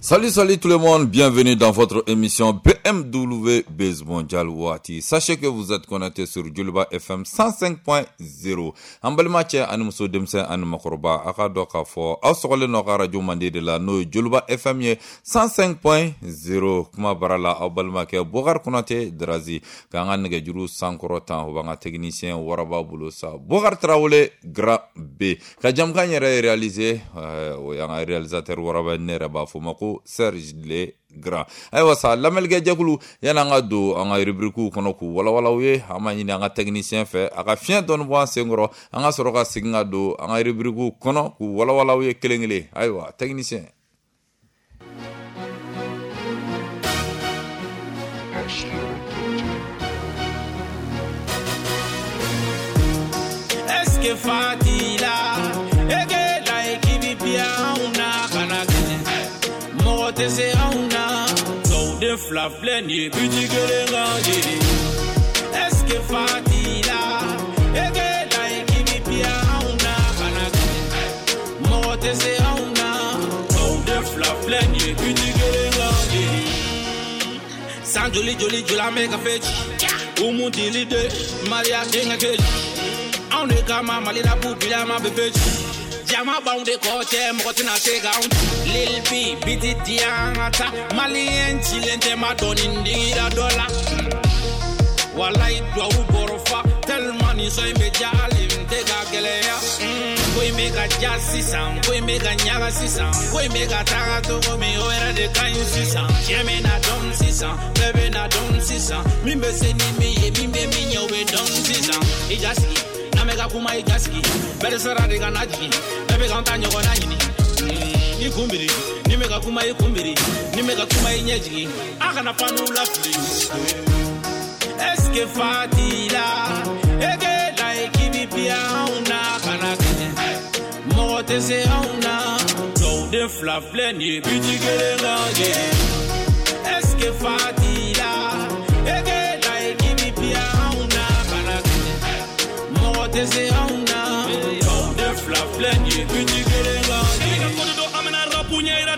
Salut, salut tout le monde, bienvenue dans votre émission BMW Buzz Mondial Waati. Sachez que vous êtes connecté sur Joliba FM 105.0. An balima cɛ ani muso, denmisɛn ani makɔrɔba, a ka dɔn k'a fɔ aw sɔgɔlen nɔ ka radio mande de la, n'o ye Joliba FM ye 105.0. Kuma bara la, aw balimakɛ Bokar Konate Drazi k'an ka nɛgɛjuru sankɔrɔ tan, o b'an ka technicien waraba bolo sa, Bokar Tarawele Grand B. Ka jamukan yɛrɛ réaliser, o y'an ka réalisateur waraba, ne yɛrɛ b'a fɔ ma ko Serge Le Grand. Ayiwa sa, lamɛnnikɛ jɛkulu, yan'an ka don an ka rubrique kɔnɔ k'u walawala u ye, an b'a ɲini an ka technicien fɛ a ka fiɲɛ dɔɔni bɔ an sen kɔrɔ, an ka sɔrɔ ka segin ka don an ka rubrique kɔnɔ k'u walawala u ye kelen kelen. Ayiwa technicien. Est-ce que Fatila ege la équipe bien na kana kɛnɛ mɔgɔ tɛ se anw na, tɔw den fila filɛ nin ye biti kelen kan ye. Est-ce que Fatila ege la équipe bien anw na kana kɛnɛ mɔgɔ tɛ se anw na, tɔw den fila filɛ nin ye biti kelen kan ye. San joli joli joli an bɛ ka fɛ ci umu dili de Maria denkɛ keji anw de kama Mali la b'u bila ma bɛ fɛ ci jama b'anw de kɔ cɛ mɔgɔ tɛna se k'anw ci. Lil B biti di an ka taa maliyɛn cilen tɛ ma dɔɔni digira dɔ la. Walayi duwawu bɔrɔ fa tellement nin sɔn in bɛ diya hali n tɛ ka gɛlɛya. Ko in bɛ ka diya sisan, ko in bɛ ka ɲaga sisan, ko in bɛ ka taga cogo min o yɛrɛ de ka ɲi sisan. Tiɲɛ bɛ na dɔn sisan, bɛɛ bɛ na dɔn sisan, min bɛ se ni min ye, min bɛ min ɲɛ o bɛ dɔn sisan. I ja sigi n'an bɛ ka kuma, i ja sigi bɛɛ de sara de ka na jigin, bɛɛ bɛ k'an ta ɲɔgɔnna ɲini. I kun biri ni bɛ ka kuma, i kun biri ni bɛ ka kuma, i ɲɛ jigin, a kana fanu lafili. Est-ce que Fatila ege la équipe bien anw na kana kɛnɛ mɔgɔ tɛ se anw na, tɔw den fila filɛ nin ye biti kelen kan ye. Est-ce que Fatila ege la équipe bien anw na kana kɛnɛ mɔgɔ tɛ se anw na, tɔw den fila filɛ nin ye biti kelen kan ye.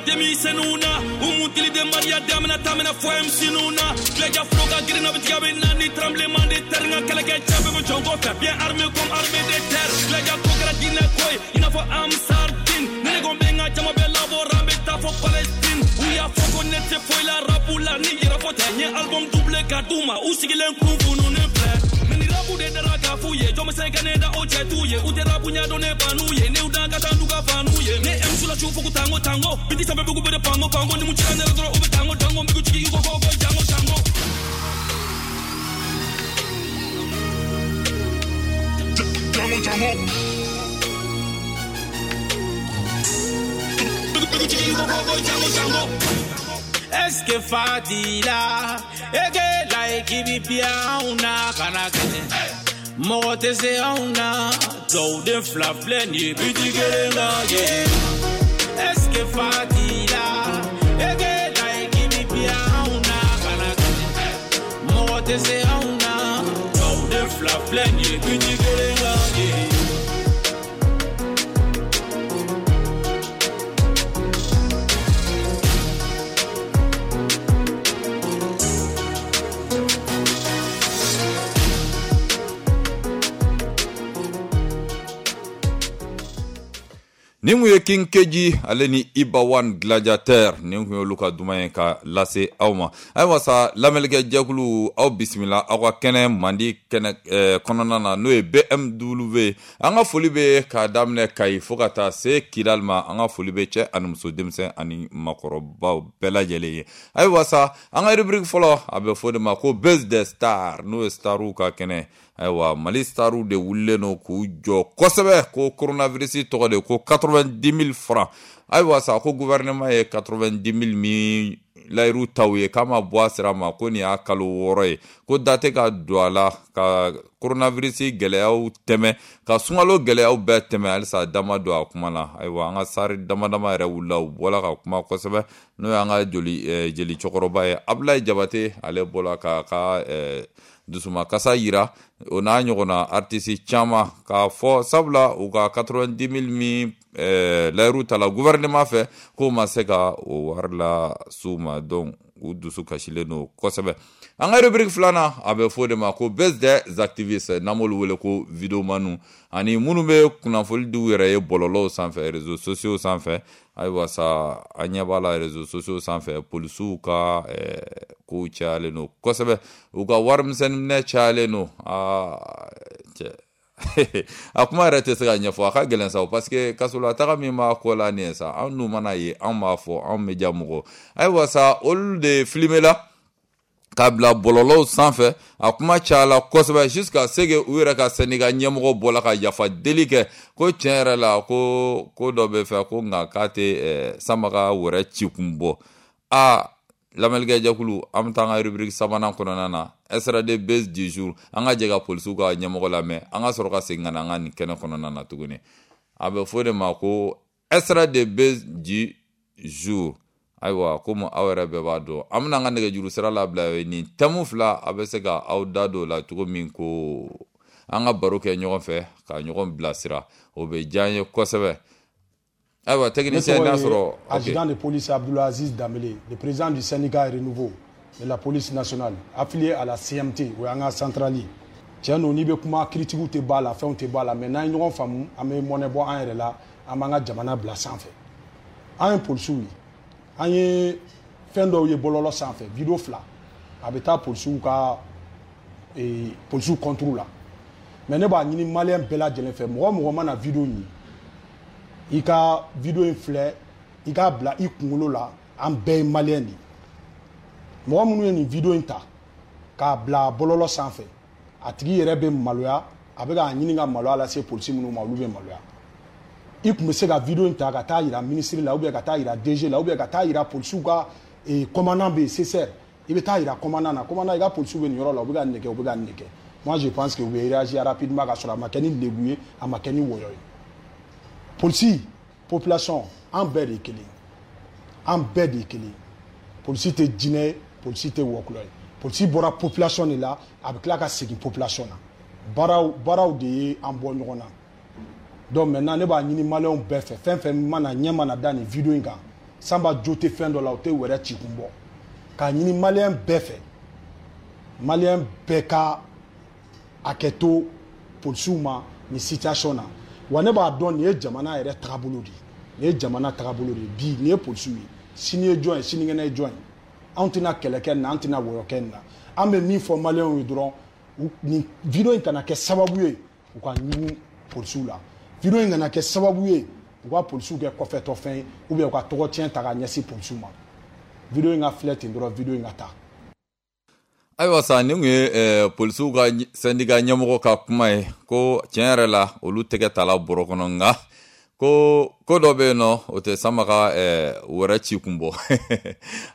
Denmisɛnninw na umu tili de Maria damina tamina fɔ MC na Tileja flo ka girin na bɛ tigɛ bɛ na ni tremblement de terre, n ka kɛlɛkɛ cɛ bɛɛ bɛ jɔn kɔfɛ bien armé comme armée de terre. Tileja ko kɛra diinɛ ko ye i n'a fɔ Ansar Din, ne de ko n bɛ n ka jama bɛɛ labɔ an bɛ taa fɔ Palestine. U y'a fɔ ko ne tɛ foyi la rap la ni yɛrɛ fɔ tɛ, n ye album doublé ka d'u ma u sigilen kun fununen filɛ. Mais ni rap de dara k'a f'u ye, jɔn bɛ se ka ne da o cɛ t'u ye, u tɛ rap ɲɛdɔn ne ban'u ye, ne y'u dan ka taa n'u ka fan'u ye. Ne MC la su fo ko tango tango, biti sanfɛ bugu bɛ de pango pango, ni mun cira ne la dɔrɔn u bɛ tango tango, n bɛ jigin i ko ko ko jango jango. Jango jango. Bɛ jigin i ko ko ko jango jango. Est-ce que Fatila ege la équipe bien anw na kana kɛnɛ mɔgɔ tɛ se anw na, tɔw den fila filɛ nin ye biti kelen kan ye. Est-ce que Fatila ege la équipe bien anw na kana kɛnɛ mɔgɔ tɛ se anw na, tɔw den fila filɛ nin ye biti kelen kan ye. Nin kun ye King Keji ale ni Iba One Gladiateur, nin kun y'olu ka duman ye ka lase aw ma. Ayiwa sa, lamɛnnikɛ jɛkulu, aw bisimila aw ka kɛnɛ mandi kɛnɛ kɔnɔna na, n'o ye BMW. An ka foli bɛ k'a daminɛ Kayi fo ka taa se Kidali ma, an ka foli bɛ cɛ ani muso, denmisɛn ani makɔrɔbaw bɛɛ lajɛlen ye. Ayiwa sa, an ka rubrique fɔlɔ a bɛ fɔ o de ma ko Buzz des Stars, n'o ye starw ka kɛnɛ. Ayiwa Mali starw de wulilen don k'u jɔ kosɛbɛ ko coronavirus tɔgɔ de ko 90 000 francs. Ayiwa sa, ko gouvernement ye 90 000 min layiru taw ye k'a ma bɔ a sira ma, ko nin y'a kalo 6 ye, ko da tɛ ka don a la ka coronavirus gɛlɛyaw tɛmɛ, ka sunkalo gɛlɛyaw bɛɛ tɛmɛ, halisa da ma don a kuma la. Ayiwa an ka sari dama dama yɛrɛ wulila, u bɔla ka kuma kosɛbɛ, n'o y'an ka joli jeli cɛkɔrɔba ye Abulayi Jabate, ale bɔla k'a ka dusumakasa yira, o n'a ɲɔgɔnna artiste caman k'a fɔ sabula u ka 90 000 min layiru ta la gouvernement fɛ, k'o ma se ka o wari la s'u ma. Donc u dusu kasilen don kosɛbɛ. An ka rubrique filanan, a bɛ fɔ o de ma ko buzz des activistes, n'an b'olu wele ko videomaniw, ani minnu bɛ kunnafoni di u yɛrɛ ye bɔlɔlɔw sanfɛ, réseaux sociaux sanfɛ. Ayiwa sa, an ɲɛ b'a la réseaux sociaux sanfɛ, polisiw ka kow cayalen don kosɛbɛ, u ka warimisɛnnin minɛ cayalen don. Aa cɛ, a kuma yɛrɛ tɛ se ka ɲɛfɔ, a ka gɛlɛn sa, parce que kasolataga min b'a kɔ la nin ye sa, an dun mana ye, an b'a fɔ, anw bɛ ja mɔgɔ. Ayiwa sa, olu de filmer la k'a bila bɔlɔlɔw sanfɛ, a kuma cayala kosɛbɛ jusqu'à ce que u yɛrɛ ka syndicat ɲɛmɔgɔ bɔla ka yafa deli kɛ, ko tiɲɛ yɛrɛ la, ko ko dɔ bɛ fɛ, ko nka k'a tɛ sama ka wɛrɛ ci kun bɔ. Aa lamɛnnikɛ jɛkulu, an bɛ taa an ka rubrique sabanan kɔnɔna na, extrait de buzz du jour. An ka jɛ ka polisiw ka ɲɛmɔgɔ lamɛn, an ka sɔrɔ ka segin ka na an ka nin kɛnɛ kɔnɔna na tuguni. A bɛ fɔ o de ma ko extrait de buzz du jour. Ayiwa, komi aw yɛrɛ bɛɛ b'a dɔn, an bɛna an ka nɛgɛjuru sira labila. Nin thème fila, a bɛ se ka aw da don o la cogo min ko an ka baro kɛ ɲɔgɔn fɛ, ka ɲɔgɔn bilasira, o bɛ diya an ye kosɛbɛ. Ayiwa, technicien, n'a sɔrɔ Adjudant de police Abdoulaziz Dambélé, le président du syndicat Renouveau de la police nationale, affilié à la CMT, o y'an ka centrale ye. Tiɲɛ don, n'i bɛ kuma, critiques tɛ b'a la, fɛnw tɛ b'a la, mais n'an ye ɲɔgɔn faamu, an bɛ mɔnɛ bɔ an yɛrɛ la, an b'an ka jamana bila sanfɛ. An ye polisiw ye, an ye fɛn dɔw ye bɔlɔlɔ sanfɛ, vidéo fila, a bɛ taa polisiw ka polisiw contre la. Mais ne b'a ɲini maliyɛn bɛɛ lajɛlen fɛ, mɔgɔ o mɔgɔ mana vidéo in ye, i ka vidéo in filɛ, i k'a bila i kunkolo la, an bɛɛ ye maliyɛn de ye. Mɔgɔ minnu ye nin vidéo in ta k'a bila bɔlɔlɔ sanfɛ, a tigi yɛrɛ bɛ maloya, a bɛ k'a ɲini ka maloya lase polisi minnu ma, olu bɛ maloya. I tun bɛ se ka vidéo in ta ka taa yira ministre la, ou bien ka taa yira DG la, ou bien ka taa yira polisiw ka commandant bɛ yen, CSR, i bɛ taa yira commandant na: commandant, i ka polisiw bɛ nin yɔrɔ la, u bɛ ka nin de kɛ, u bɛ ka nin de kɛ. Moi, je pense que u bɛ réagir rapidement, ka sɔrɔ a ma kɛ ni lebu ye, a ma kɛ ni wɔyɔ ye. Polisi, population, an bɛɛ de ye kelen, an bɛɛ de ye kelen. Polisi tɛ jinɛ ye, polisi tɛ wɔkulɔ ye. Polisi bɔra population de la, a bɛ tila ka segin population na. Baaraw, baaraw de ye an bɔ ɲɔgɔn na. Donc maintenant, ne b'a ɲini maliyɛnw bɛɛ fɛ, fɛn fɛn mana ɲɛ mana da nin vidéo in kan, Sanba jo tɛ fɛn dɔ la, o tɛ wɛrɛ ci kun bɔ, k'a ɲini maliyɛn bɛɛ fɛ, maliyɛn bɛɛ ka hakɛ to polisiw ma nin situation na. Wa ne b'a dɔn, nin ye jamana yɛrɛ tagabolo de ye, nin ye jamana tagabolo de ye. Bi nin ye polisiw ye, sini ye jɔn ye, sinikɛnɛ ye jɔn ye? Anw tɛna kɛlɛ kɛ nin na, an tɛna wɔyɔ kɛ nin na. An bɛ min fɔ maliyɛnw ye dɔrɔn, nin vidéo in kana kɛ sababu ye u ka ɲugun polisiw la, vidéo in kana kɛ sababu ye u ka polisiw kɛ kɔfɛtɔfɛn ye, ou bien u ka tɔgɔ tiɲɛ ta ka ɲɛsin polisiw ma. Vidéo in ka filɛ ten dɔrɔn, vidéo in ka taa. Ayiwa sa, nin tun ye polisiw ka syndicat ɲɛmɔgɔ ka kuma ye, ko tiɲɛ yɛrɛ la, olu tɛgɛ tala bɔrɔ kɔnɔ, nka ko ko dɔ bɛ yen nɔ, o tɛ sama ka wɛrɛ ci kun bɔ.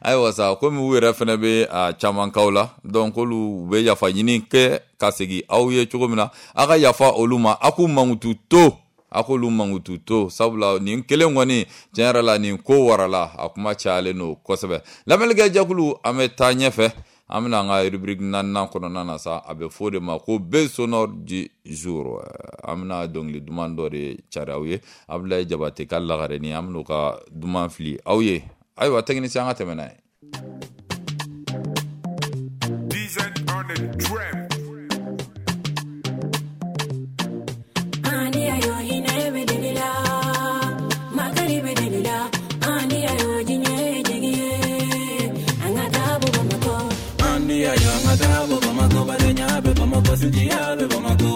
Ayiwa sa, komi u yɛrɛ fɛnɛ bɛ a caman kaw la, donc olu bɛ yafa ɲini kɛ ka segin aw ye cogo min na, a ka yafa olu ma, a k'u mankutu to, a k'olu mankutu to, sabula nin kelen kɔni, tiɲɛ yɛrɛ la, nin ko warala, a kuma cayalen don kosɛbɛ. Lamɛnnikɛ jɛkulu, an bɛ taa ɲɛfɛ, an bɛna an ka rubrique naaninan kɔnɔna na sa, a bɛ fɔ o de ma ko buzz sonore du jour. An bɛna dɔnkili duman dɔ de cari aw ye, Abdoulaye Jabate ka lagarenin, an bɛn'o ka duman fili aw ye. Ayiwa technicien, an ka tɛmɛ n'a ye. On the track. Ani ayo hinɛ bɛ deli la, makari bɛ deli la, ani ayo diɲɛ jigi ye, an ka taa bɔ Bamakɔ. Ani ayo an ka taa bɔ Bamakɔ, badenya bɛ Bamakɔ, sinjiya bɛ Bamakɔ,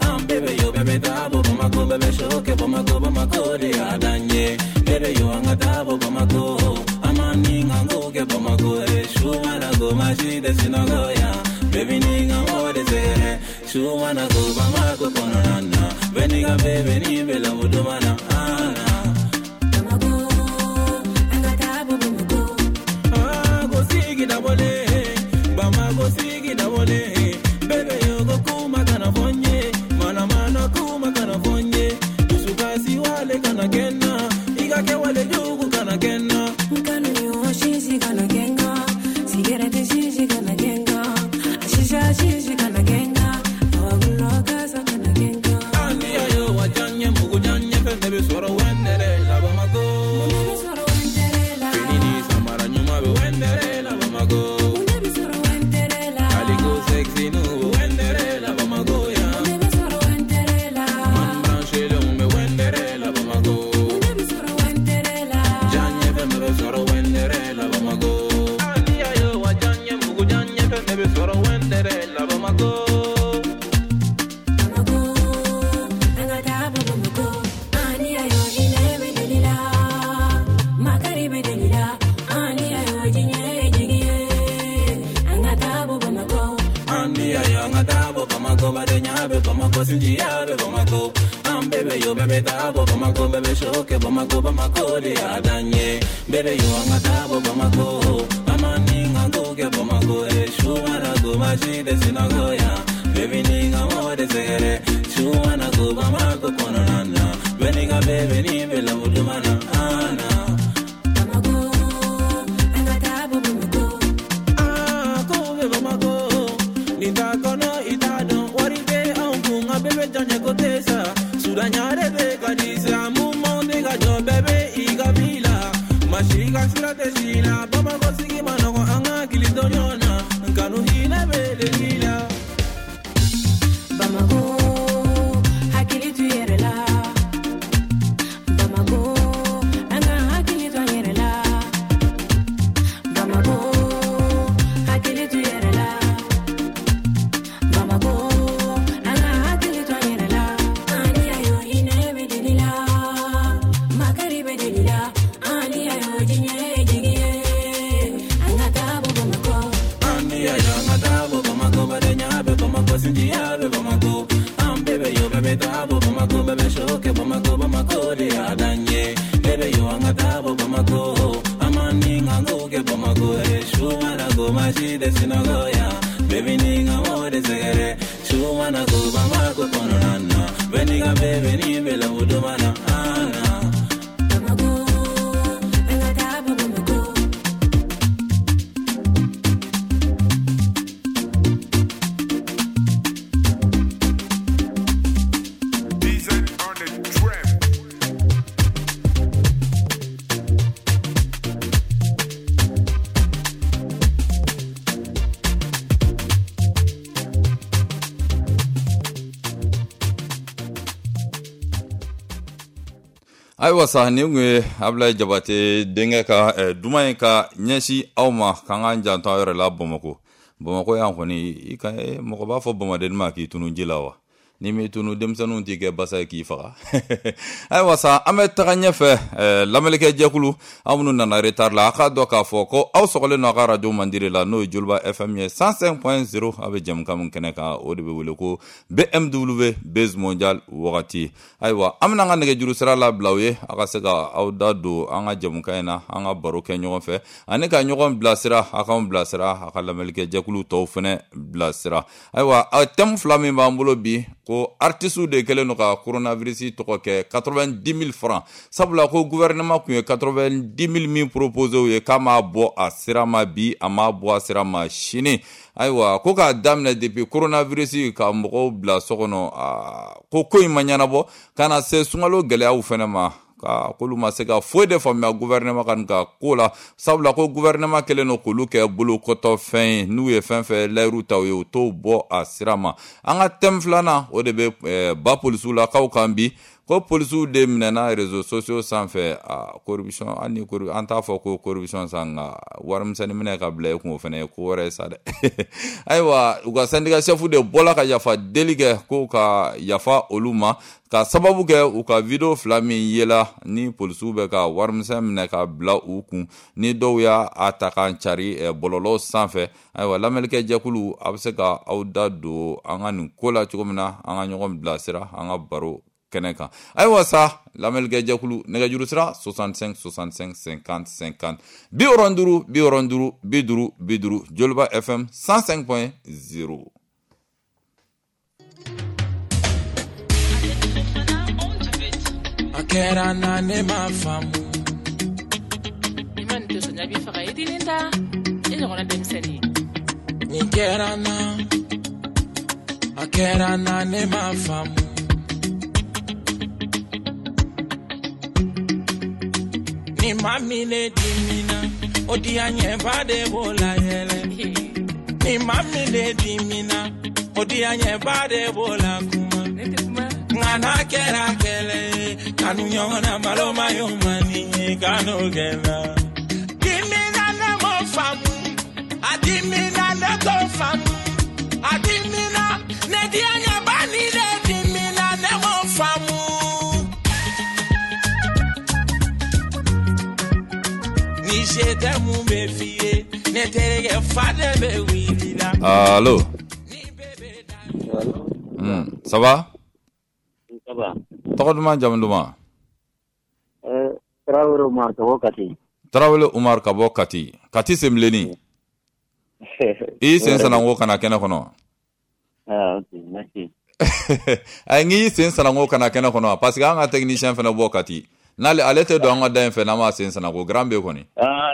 an bɛɛ bɛ yo, bɛɛ bɛ taa bɔ Bamakɔ, bɛɛ bɛ sɔ kɛ Bamakɔ, Bamakɔ de y'a dan ye. Bɛɛ bɛ yo, an ka taa bɔ Bamakɔ, an ma ni ka ko kɛ Bamakɔ ye, su mana ko maa si tɛ sunɔgɔ yan. Baby ni ka mɔgɔ de sɛgɛrɛ, su mana ko Bamakɔ kɔnɔna na, bɛɛ n'i ka bɛɛ n'i bɛ lamu duma na. Bamakɔ, an ka taa bɔ Bamakɔ. Ah, ko sigi dabɔlen, Bamakɔ sigi dabɔlen, bɛɛ yo ko kuma kana fɔ n ye, mana mana kuma kana fɔ n ye, dusukasi wale kana kɛ n na, i ka kɛwale jugu kana kɛ n na. Nkanu yo sisi kana kɛ n kan, sigɛrɛti sisi kana kɛ n kan, a sisa sisi kana kɛ n kan, awa gulɔ kasa kana kɛ n kan. Ani ayo wa diya n ye, mugu diya n ye, fɛn bɛɛ bɛ sɔrɔ wɛnɛ. bɛ Bamakɔ sinjiya bɛ Bamakɔ an bɛɛ bɛ yo bɛɛ bɛ taa bɔ Bamakɔ bɛɛ bɛ show kɛ Bamakɔ Bamakɔ de y'a dan ye bɛɛ bɛ yo an ka taa bɔ Bamakɔ an ma ni ka ko kɛ Bamakɔ suwana ko ma si tɛ sinɔgɔ yan baby ni ka mɔgɔ tɛ sɛgɛrɛ suwana ko Bamakɔ kɔnɔna na bɛɛ ni ka bɛɛ ni bɛ lamu duman na ana. Bamakɔ an ka taa bɔ Bamakɔ. Aa ko bɛ Bamakɔ ni t'a kɔnɔ i t'a dɔn wari tɛ anw kun nka bɛɛ bɛ jɔn ɲɛ ko tɛ sa sudanya de bɛ ka di sa mouvement tɛ ka jɔ bɛɛ bɛ i ka bi la maa si ka sira tɛ si la Bamakɔ sigi ma nɔgɔn an ka hakili to ɲɔgɔn na kanu hinɛ bɛ de la. Bamakɔ hakili to yɛrɛ la Bamakɔ an ka hakili to an yɛrɛ la Bamakɔ hakili to yɛrɛ la Bamakɔ an ka hakili to an yɛrɛ la. Ani ayo hinɛ bɛ deli la makari bɛ deli la ani ayo diɲɛ ye jigi ye an ka taa bɔ Bamakɔ. Ani ayo an ka taa bɔ Bamakɔ badenya bɛ Bamakɔ sinjiya bɛ Bamakɔ an bɛɛ bɛ yo bɛɛ bɛ taa bɔ Bamakɔ bɛɛ bɛ show kɛ Bamakɔ Bamakɔ de y'a dan ye bɛɛ bɛ yo an ka taa bɔ Bamakɔ an ma ni ka ko kɛ Bamakɔ suwana ko ma si tɛ sinɔgɔ yan baby ni ka mɔgɔ tɛ sɛgɛrɛ suwana ko Bamakɔ kɔnɔna na bɛɛ ni ka bɛɛ ni bɛ lamu duman na ana. Bamakɔ an ka taa bɔ Bamakɔ. DZ on the track. Ayiwa sa nin kun ye Abulayi Jabate denkɛ ka duman ye ka ɲɛsin aw ma k'an k'an janto an yɛrɛ la Bamakɔ. Bamakɔ yan kɔni i ka mɔgɔ b'a fɔ Bamaden ma k'i tunu ji la wa n'i m'i tunu denmisɛnninw t'i kɛ basa ye k'i faga. Ayiwa sa an bɛ taga ɲɛfɛ lamɛnnikɛ jɛkulu aw minnu nana retard la a k'a dɔn k'a fɔ ko aw sɔgɔlen don a ka radio mandire la n'o ye Joliba FM ye 105.0 a bɛ jɛmukan min kɛnɛ kan o de bɛ wele ko BMW Base Mondial wagati. Ayiwa an bɛna an ka nɛgɛjuru sira labila aw ye a ka se ka aw da don an ka jɛmukan in na an ka baro kɛ ɲɔgɔn fɛ ani ka ɲɔgɔn bilasira a k'anw bilasira a ka lamɛnnikɛ jɛkulu tɔw fɛnɛ bilasira. Ayiwa thème fila min b'an bolo bi ko artistes de kɛlen don ka coronavirus tɔgɔ kɛ 90 000 francs sabula ko gouvernement kun ye 90 000 min proposé u ye k'a m'a bɔ a sira ma bi a m'a bɔ a sira ma sini. Ayiwa ko k'a daminɛ depuis coronavirus ka mɔgɔw bila so kɔnɔ ko in ma ɲɛnabɔ ka na se sunkalo gɛlɛyaw fɛnɛ ma ka k'olu ma se ka foyi de faamuya gouvernement ka nin ka ko la sabula ko gouvernement kɛlen don k'olu kɛ bolokɔtɔfɛn ye n'u ye fɛn fɛn layiru ta u ye u t'o bɔ a sira ma. An ka thème filanan o de bɛ ba polisiw la k'aw kan bi ko polisiw de minɛna réseaux sociaux sanfɛ corruption hali ni an t'a fɔ ko corruption sa nka warimisɛnnin minɛ ka bila i kun o fɛnɛ ye ko wɛrɛ ye sa dɛ. Ayiwa u ka syndicat chef de bɔla ka yafa deli kɛ ko ka yafa olu ma ka sababu kɛ u ka video fila min yela ni polisiw bɛ ka warimisɛn minɛ ka bila u kun ni dɔw y'a ta k'an cari bɔlɔlɔ sanfɛ. Ayiwa lamɛnnikɛ jɛkulu a bɛ se ka aw da don an ka nin ko la cogo min na an ka ɲɔgɔn bilasira an ka baro kɛnɛ kan. Ayiwa sa lamɛnnikɛ jɛkulu nɛgɛjuru sira 65 65 50 50 65 65 50 50 Joliba FM 105.0. A kɛra na ne ma faamu. I ma nin to sɔnja b'i faga i tɛ nin ta e ɲɔgɔnna denmisɛnnin. Nin kɛra na a kɛra na ne ma faamu. Ni ma min ne dimina o diya ɲɛba de b'o la yɛlɛ. Ni ma min ne dimina o diya ɲɛba de b'o la kuma. Nka n'a kɛra kɛlɛ ye kanu ɲɔgɔn na malo ma y'o ma ni ye kanu kɛlɛ. Dimina ne m'o faamu a dimina ne t'o faamu a dimina ne diya ɲɛba ni ne dimina ne m'o faamu. Ni se tɛ mun bɛ f'i ye ne terikɛ fa de bɛ wuli la. Allo. Ça va? Ça va. Tɔgɔ duman, jamu duman? Tarawele Umar ka bɔ Kati. Tarawele Umar ka bɔ Kati. Kati Senbilenni. I y'i sen sananko ka na kɛnɛ kɔnɔ. Ah, ok, merci. Ayi, n k'i sen sananko ka na kɛnɛ kɔnɔ parce que an ka technicien fana bɔ Kati. N'ale ale tɛ don an ka da in fɛ n'an m'a sen sananko grand B kɔni. Ah,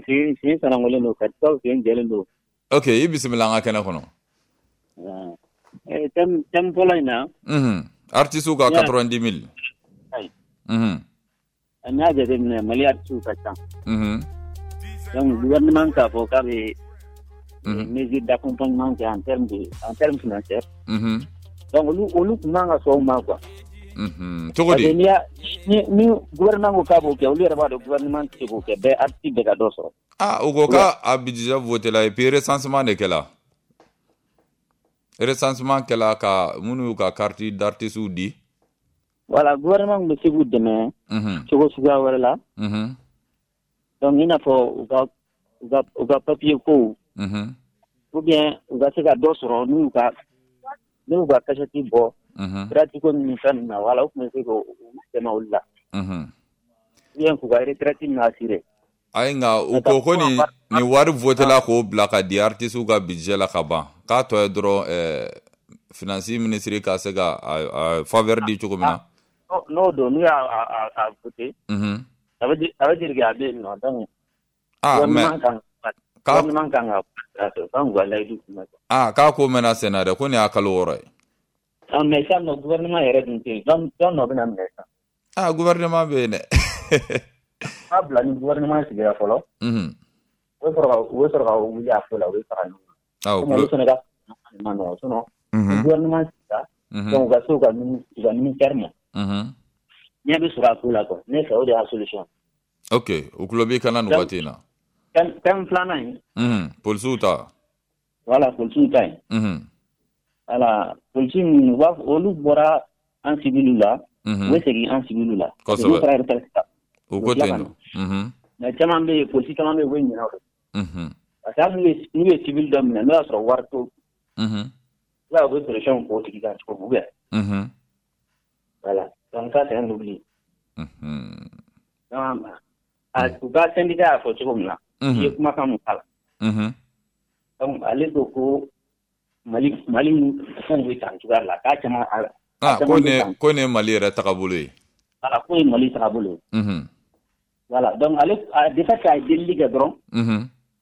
sen sanankolen don, Katikaw sen jɛlen don. Ok, i bisimila an ka kɛnɛ kɔnɔ. Ah. Thème fɔlɔ in na. Artistes ka 90 000. Ayi. N'i y'a jateminɛ, Mali artistes ka ca. Donc gouvernement k'a fɔ k'a bɛ mesure d'accompagnement kɛ en termes financiers. Donc olu tun man ka sɔn o ma quoi. Cogo di? Parce que ni gouvernement ko k'a b'o kɛ, olu yɛrɛ b'a dɔn gouvernement tɛ se k'o kɛ, bɛɛ artiste bɛɛ ka dɔ sɔrɔ. Ah, u ko k'a budget voté la et puis recensement de kɛla. Recensement kɛla ka minnu y'u ka carte d'artiste di. Voilà, gouvernement bɛ se k'u dɛmɛ cogo suguya wɛrɛ la. Donc i n'a fɔ u ka papier kow ou bien u ka se ka dɔ sɔrɔ n'u y'u ka cachet bɔ gratuit ko ni fɛn ninnu na, voilà, u tun bɛ se k'u dɛmɛ olu la. Ou bien k'u ka retraite ninnu assurer. Ayi, nka u ko nin wari voté la k'o bila ka di artistes ka budget la ka ban, k'a tɔ ye dɔrɔn finance ministre ka se ka a faveur di cogo min na. N'o don, n'u y'a a voté, ça veut dire que a bɛ yen nɔ, donc Ah, mais gouvernement kan ka kan k'u ka layidu tiimɛ. Ah, k'a ko mɛnna sen na dɛ, ko nin y'a kalo 6 ye. Ah, mais sisan nɔ, gouvernement yɛrɛ dun tɛ yen, jɔn nɔ bɛna minɛ sisan? Ah, gouvernement bɛ yen dɛ. N'a bila ni gouvernement sigira fɔlɔ, u bɛ sɔrɔ ka wuli a ko la, u bɛ fara ɲɔgɔn kan. Ah, Komi olu fana ka ma nɔgɔn, sinon ni gouvernement sigira, donc u ka se u ka ministère ma, ɲɛ bɛ sɔrɔ a ko la quoi. Ne fɛ, o de y'a solution. Ok, u tulo b'i kana nin waati in na. Thème filanan in. Polisiw ta. Voilà, polisiw ta in. Voilà, polisi ninnu, u b'a fɔ olu bɔra an civil la, u bɛ segin an civil la. N'u taara retraite la, U u ko bɛ tila ten ka nɔ. na. Mais caman bɛ yen, polisi caman bɛ yen, u bɛ ɲinɛ o kɔ. Parce que hali n'u ye civil dɔ minɛ, n'o y'a sɔrɔ wari t'o, i b'a ye u bɛ pression k'o tigi kan cogo min, ou bien. Voilà, donc ça, c'est un oubli. Donc u ka syndicat y'a fɔ cogo min na, i ye kumakan mun k'a la. Donc ale ko Mali fɛnw bɛ tan cogoya la, k'a caman a Ah, ko caman bɛ nin tan. ko nin ye Mali yɛrɛ tagabolo ye. Voilà, k'o ye Mali tagabolo ye. Voilà, donc ale de fait k'a ye delili kɛ dɔrɔn,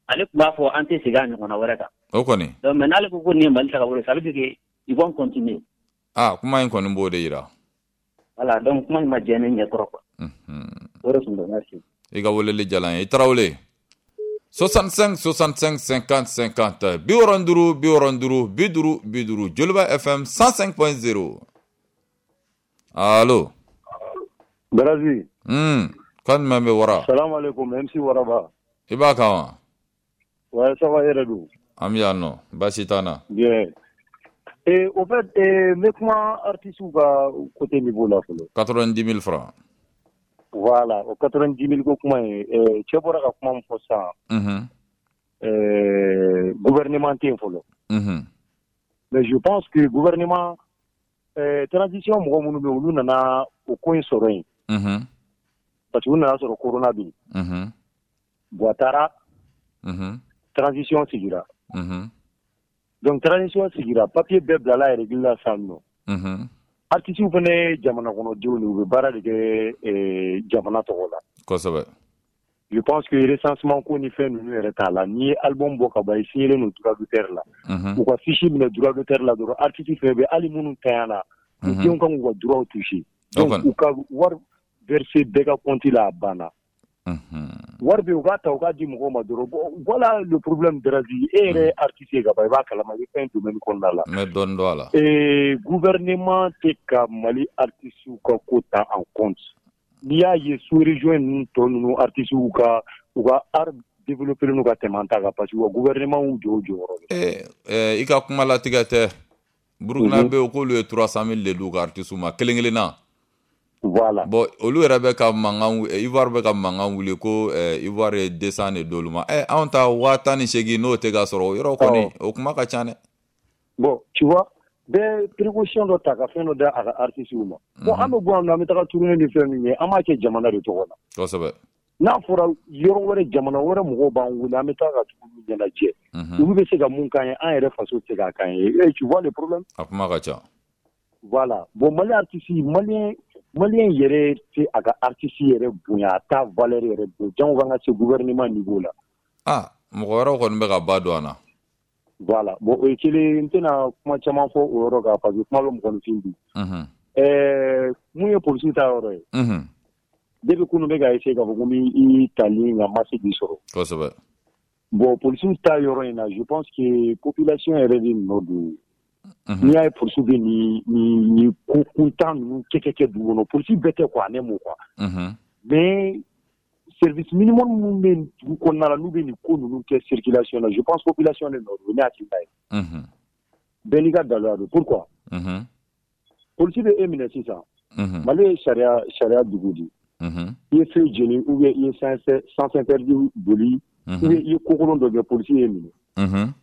ale tun b'a fɔ an tɛ segin a ɲɔgɔnna wɛrɛ kan. O kɔni. Donc mais n'ale ko nin ye Mali tagabolo ye, ça veut dire que ils vont continuer. Ah, kuma in kɔni b'o de yira. Voilà, donc kuma in ma jɛ ne ɲɛ kɔrɔ quoi. O de tun don, merci. I ka weleli diyara n ye. I Tarawele. 65 65 50 50, 65 65 50 50, Joliba FM 105.0. Allo. Baraji. Kan jumɛn bɛ wara? Salam alaikum, MC Waraba. I b'a kan wa? Ouais, ça va, yɛrɛ don. An bɛ yan nɔ, baasi t'an na. Bien. Et au fait, n bɛ kuma artistes ka côté niveau la fɔlɔ. 90 000 francs. Voilà, o 90 000 ko kuma in, cɛ bɔra ka kuma min fɔ sisan, gouvernement tɛ yen fɔlɔ. Mais je pense que gouvernement, transition mɔgɔ minnu bɛ yen, olu nana o ko in sɔrɔ yen. Parce que u nana sɔrɔ corona bɛ yen. Bon, a taara, transition sigira. Donc transition sigira, papier bɛɛ bilala règle la sisan nɔ. Artistes fana ye jamana kɔnɔdenw de ye, u bɛ baara de kɛ jamana tɔgɔ la. Je pense que recensement ko ni fɛn ninnu yɛrɛ t'a la. N'i ye album bɔ ka ban, i signé don droit d'auteur la. U ka fiche minɛ droit d'auteur la dɔrɔn, artiste fɛn bɛ, hali minnu tanyana, u denw kan k'u ka droit toucher. O Donc kɔni. u ka wari verser bɛɛ ka compte la, a banna. Wari bɛ yen, u k'a ta, u k'a di mɔgɔw ma dɔrɔn. Bon, voilà le problème, Darazi. E yɛrɛ ye artiste ye ka ban, i b'a kalama, i bɛ fɛn domaine kɔnɔna la. N bɛ dɔɔnin dɔn a la. Et gouvernement tɛ ka Mali artistes ka ko ta en compte. N'i y'a ye sous région ninnu tɔ ninnu, artistes u ka art développé n'u ka tɛmɛ an ta kan, parce que u ka gouvernement y'u jɔ u jɔyɔrɔ la. I ka kuma latigɛ tɛ. Burukina bɛ yen, k'olu ye 300 000 de d'u ka artistes ma kelen kelen na. Voilà. Bon, olu yɛrɛ bɛ ka mankan, Ivoire bɛ ka mankan wuli ko Ivoire ye 200 de d'olu ma. Anw ta 18 000, n'o tɛ ka sɔrɔ o yɔrɔ kɔni, o kuma ka ca dɛ. Bon, tu vois, Bɛɛ précaution dɔ ta ka fɛn dɔ da a ka artistes ma. Bon, an bɛ bɔ yan nɔ, an bɛ taga tournée ni fɛn min ye, an b'a kɛ jamana de tɔgɔ la. Kosɛbɛ. N'a fɔra yɔrɔ wɛrɛ, jamana wɛrɛ mɔgɔw b'an wele, an bɛ taa ka tugu ɲɛnajɛ. Olu bɛ se ka mun k'an ye, an yɛrɛ faso tɛ se k'a k'an ye. Et tu vois le problème? A kuma ka ca. Voilà. Bon, Mali artiste, malien yɛrɛ tɛ a ka artiste yɛrɛ bonya, a t'a valeur yɛrɛ dɔn. Jango k'an ka se gouvernement niveau la. Ah, mɔgɔ wɛrɛw kɔni bɛ ka ba don an na. Voilà. Bon, o ye kelen, n tɛna kuma caman fɔ o yɔrɔ kan parce que kuma bɛ mɔgɔninfin bi. Mun ye polisiw ta yɔrɔ ye? Depuis kunun bɛ ka essayer k'a fɔ ko n b'i tali nka ma se k'i sɔrɔ. Kosɛbɛ. Bon, polisiw ta yɔrɔ in na, je pense que population yɛrɛ de nɔ don. N'i y'a ye polisiw bɛ nin ko kuntan ninnu kɛ dugu kɔnɔ, polisi bɛɛ tɛ quoi, ne m'o quoi. Mais service minimum minnu bɛ dugu kɔnɔna la, n'u bɛ nin ko ninnu kɛ circulation na, je pense population de nɔ don, ne hakilina ye. Bɛɛ n'i ka daluya don. Pourquoi? Polisi bɛ e minɛ sisan. Mali ye sariya dugu de ye. I ye feu jeni ou bien i ye sens interdit boli ou bien i ye kokolon dɔ kɛ, polisi ye minɛ.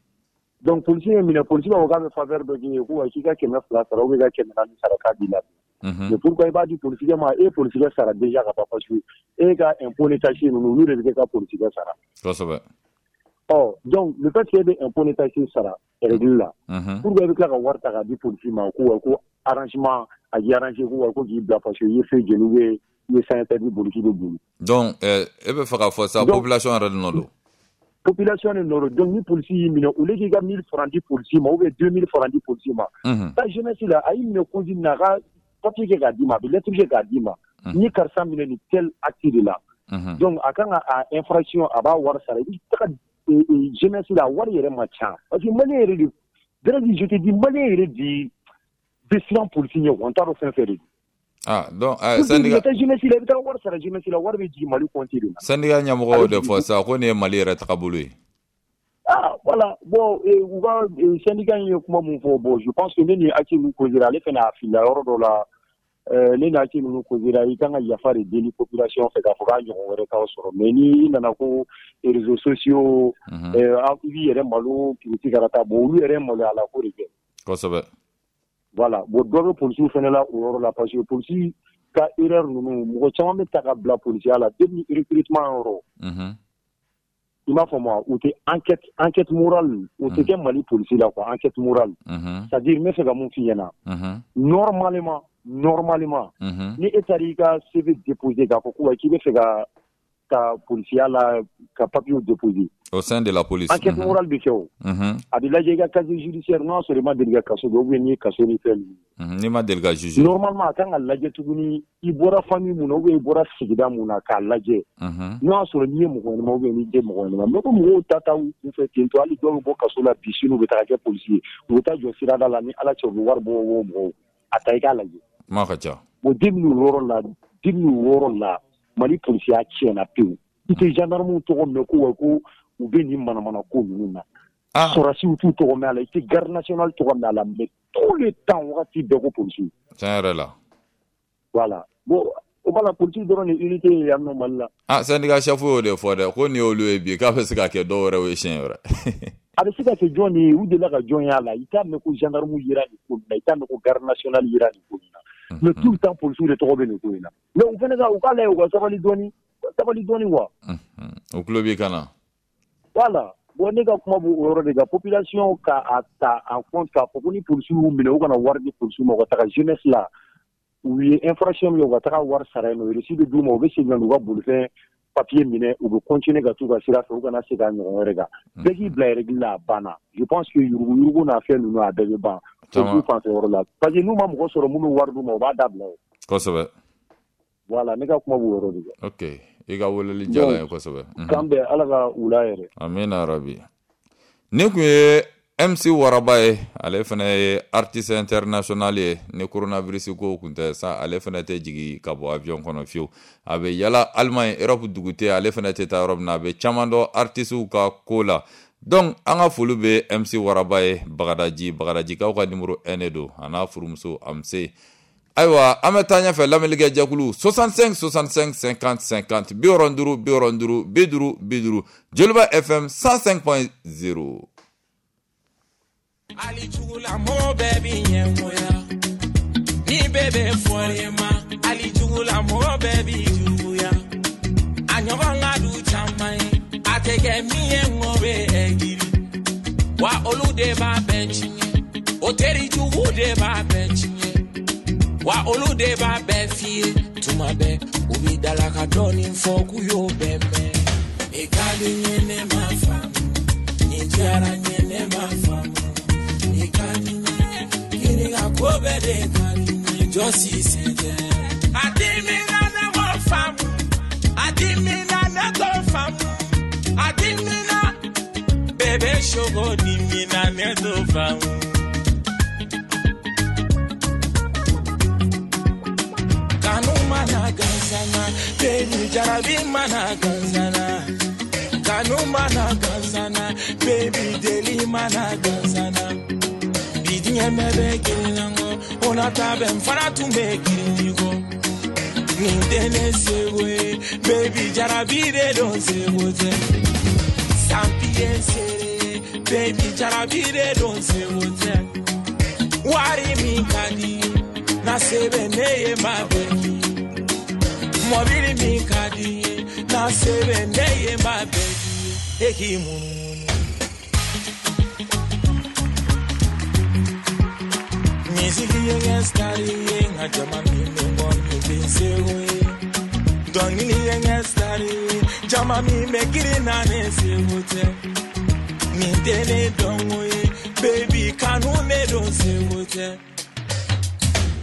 Donc polisi ye minɛ, polisi b'a fɔ k'a bɛ faveur dɔ k'i ye, ko wa k'i ka 200 sara ou bien i ka 400 sara k'a b'i la. Mais pourquoi i b'a di polisikɛ ma? E ye polisikɛ sara déjà ka ban, parce que e ka impôt ni taxe ninnu, olu de bɛ kɛ ka polisikɛ sara. Kosɛbɛ. Ɔ, donc le fait que e bɛ impôt ni taxe sara règle la, pourquoi i bɛ tila ka wari ta k'a di polisi ma ko wa ko arrangement a k'i arranger ko wa ko k'i bila parce que i ye feu jeni ou bien i ye sens interdit boli k'i bɛ boli. Donc e bɛ fɛ k'a fɔ sa, population yɛrɛ de nɔ don. Population de nɔ don. Donc ni polisi y'i minɛ, au lieu k'i ka 1000 francs di polisi ma ou bien 2000 francs di polisi ma, ta jeunesse la, a y'i minɛ cause min na, a ka papier kɛ k'a d'i ma, a bɛ lettre kɛ k'a d'i ma. Ni karisa minɛ nin tel acte de la. Donc a kan ka a infraction, a b'a wari sara. I bɛ taga jeunesse la, a wari yɛrɛ ma ca. Parce que malien yɛrɛ de, Dɛrɛji, je te dis, malien yɛrɛ de bɛ siran polisi ɲɛ quoi, n t'a dɔn fɛn fɛn de don. Ah, donc syndicat taa jeunesse la, i bɛ taa wari sara jeunesse la, wari bɛ jigin Mali compte de la. Syndicat ɲɛmɔgɔ y'o de fɔ sisan ko nin ye Mali yɛrɛ tagabolo ye. Ah, voilà. Bon, u ka syndicat in ye kuma mun fɔ, bon, je pense que ne ni Aki ninnu causera, ale fana a filila yɔrɔ dɔ la. Ne ni Aki ninnu causera, i kan ka yafa de deli population fɛ k'a fɔ k'a ɲɔgɔn wɛrɛ t'aw sɔrɔ. Mais ni i nana ko réseaux sociaux, i b'i yɛrɛ malo kiriti karata, bon, olu yɛrɛ maloya la ko de kɛ. Kosɛbɛ. Voilà. Bon, dɔ bɛ polisiw fana la o yɔrɔ la, parce que polisi ka erreur ninnu, mɔgɔ caman bɛ ta ka bila polisiya la depuis recrutement yɔrɔ. I m'a faamu wa? U tɛ enquête morale, o tɛ kɛ Mali polisi la quoi, enquête morale. C'est-à-dire n bɛ fɛ ka mun f'i ɲɛna. Normalement, ni e taara i ka CV déposer k'a fɔ ko k'i bɛ fɛ ka polisiya la ka papier déposer. Au sein de la police. Enquête morale bɛ kɛ o. A bɛ lajɛ i ka casier judiciaire, n'o y'a sɔrɔ i ma deli ka kaso kɛ ou bien n'i ye kaso ni fɛn ninnu. N'i ma deli ka juger. Normalement a kan ka lajɛ tuguni i bɔra famille mun na ou bien i bɔra sigida mun na k'a lajɛ. N'o y'a sɔrɔ n'i ye mɔgɔ ɲɛnama ou bien n'i tɛ mɔgɔ ɲɛnama. Mais ko mɔgɔw ta u kunfɛ ten tɔ, hali dɔw bɛ bɔ kaso la bi sini u bɛ taga kɛ polisi ye. U bɛ taa jɔ sirada la ni Ala cɛ u bɛ wari bɔ mɔgɔw. A ta i k'a lajɛ. Kuma ka ca. Bon, depuis o yɔrɔ la Mali polisiya tiɲɛna pewu. I tɛ gendarme tɔgɔ mɛn ko wa ko u bɛ nin manamana ko ninnu na. Sɔrɔdasiw t'u tɔgɔ mɛn a la, i tɛ garde nationale tɔgɔ mɛn a la, mais tout le temps wagati bɛɛ ko polisiw. Tiɲɛ yɛrɛ la. Voilà. Bon, o b'a la polisiw dɔrɔn de unité ye yan nɔ Mali la. Ah, syndicat chef y'o de fɔ dɛ, ko nin y'olu ye bi k'a bɛ se ka kɛ dɔw wɛrɛw ye siɲɛ wɛrɛ. A bɛ se ka kɛ jɔn de ye, u delila ka jɔn y'a la, i t'a mɛn ko gendarme yera nin ko in na, i t'a mɛn ko garde nationale yera nin ko in na. Mais tout le temps polisiw de tɔgɔ bɛ nin ko in na. Mais u fana ka u k'a lajɛ u ka sabali dɔɔni quoi. O tulo b'i kan na. Voilà. Bon, ne ka kuma b'o yɔrɔ de kan, population ka a ta en compte k'a fɔ ko ni polisiw y'u minɛ, u kana wari di polisiw ma, u ka taga jeunesse la. U ye infraction min kɛ, u ka taga wari sara yen nɔ, reçu bɛ d'u ma, u bɛ segin ka n'u ka bolifɛn papier minɛ, u bɛ continuer ka t'u ka sira fɛ, u kana segin a ɲɔgɔn wɛrɛ kan. Bɛɛ k'i bila règle la, a banna. Je pense que yuruguyurugu n'a fɛn ninnu a bɛɛ bɛ ban. Polisiw fan fɛ yɔrɔ la. Parce que n'u ma mɔgɔ sɔrɔ minnu wari d'u ma, u b'a dabila o. Kosɛbɛ. Voilà, ne ka kuma b'o yɔrɔ de kan. Ok, i ka weleli diyara n ye kosɛbɛ. K'an bɛn, Ala ka wula yɛrɛ. Amina rabi. Nin kun ye MC Waraba ye, ale fana ye artiste international ye. Ni coronavirus ko kun tɛ sa, ale fana tɛ jigin ka bɔ avion kɔnɔ fiyewu. A bɛ yala Allemagne, Europe dugu tɛ, ale fana tɛ taa yɔrɔ min na, a bɛ caman dɔn artistew ka ko la. Donc an ka foli bɛ MC Waraba ye, Bagadaji, Bagadajikaw ka numéro 1 de don, a n'a furumuso Amse. Ayiwa, an bɛ taa ɲɛfɛ lamɛnnikɛ jɛkulu 65 65 50 50 75 75 50 50 Joliba FM 105.0. Hali jugula mɔgɔ bɛɛ b'i ɲɛngoya. Ni bɛɛ bɛ fɔr'i ma, hali jugula mɔgɔ bɛɛ b'i juguya. A ɲɔgɔn ka du caman ye, a tɛ kɛ min ye ŋo bɛ ɛgiri. Wa olu de b'a bɛɛ tiɲɛ, o teri jugu de b'a bɛɛ tiɲɛ. Wa olu de b'a bɛɛ f'i ye, tuma bɛɛ u b'i dala ka dɔɔnin fɔ k'u y'o bɛɛ mɛn. I ka di n ye ne ma faamu, nin diyara n ye ne ma faamu. I ka di n ye, kini ka ko bɛɛ de ka di n ye, jɔsi sen tɛ. A dimina ne m'o faamu, a dimina ne t'o faamu, a dimina bébé sogo dimina ne t'o faamu. Kanu mana gansana, baby jarabi mana gansana. Kanu mana gansana, baby deli mana gansana. Bi diɲɛ bɛɛ bɛ girin na kɔ, o na ta bɛ n fana tun bɛ girin i kɔ. Nin tɛ ne seko ye, baby jarabi de don seko tɛ. Sanpi ye n seere ye, baby jarabi de don seko tɛ. Wari min ka di ye, na se bɛ ne ye ma bɛɛ k'i ye. Mɔbili min ka di ye, na se bɛ ne ye ma bɛɛ k'i ye. E k'i munumunu. Misiki ye n kɛ star ye, n ka jama min bɛ n kɔ nin bɛ n seko ye. Dɔnkili ye n kɛ star ye, jama min bɛ girin na ne seko tɛ. Nin tɛ ne dɔnko ye, baby kanu ne don seko tɛ.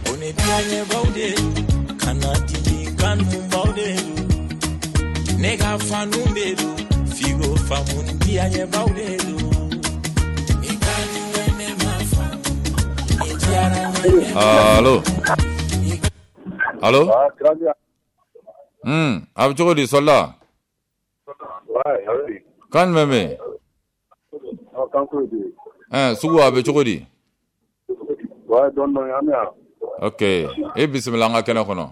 O ne diyaɲɛbaw de don, kana dimi kanubaw de don. Ne ka fanu de don, figo faamu ni diyaɲɛbaw de don. I ka di n ye ne ma faamu, nin diyara n ye ne ma Allo. Allo. A bɛ cogo di Sɔlila? Kan jumɛn bɛ yen? Sugu a bɛ cogo di? Ok, e bisimila an ka kɛnɛ kɔnɔ.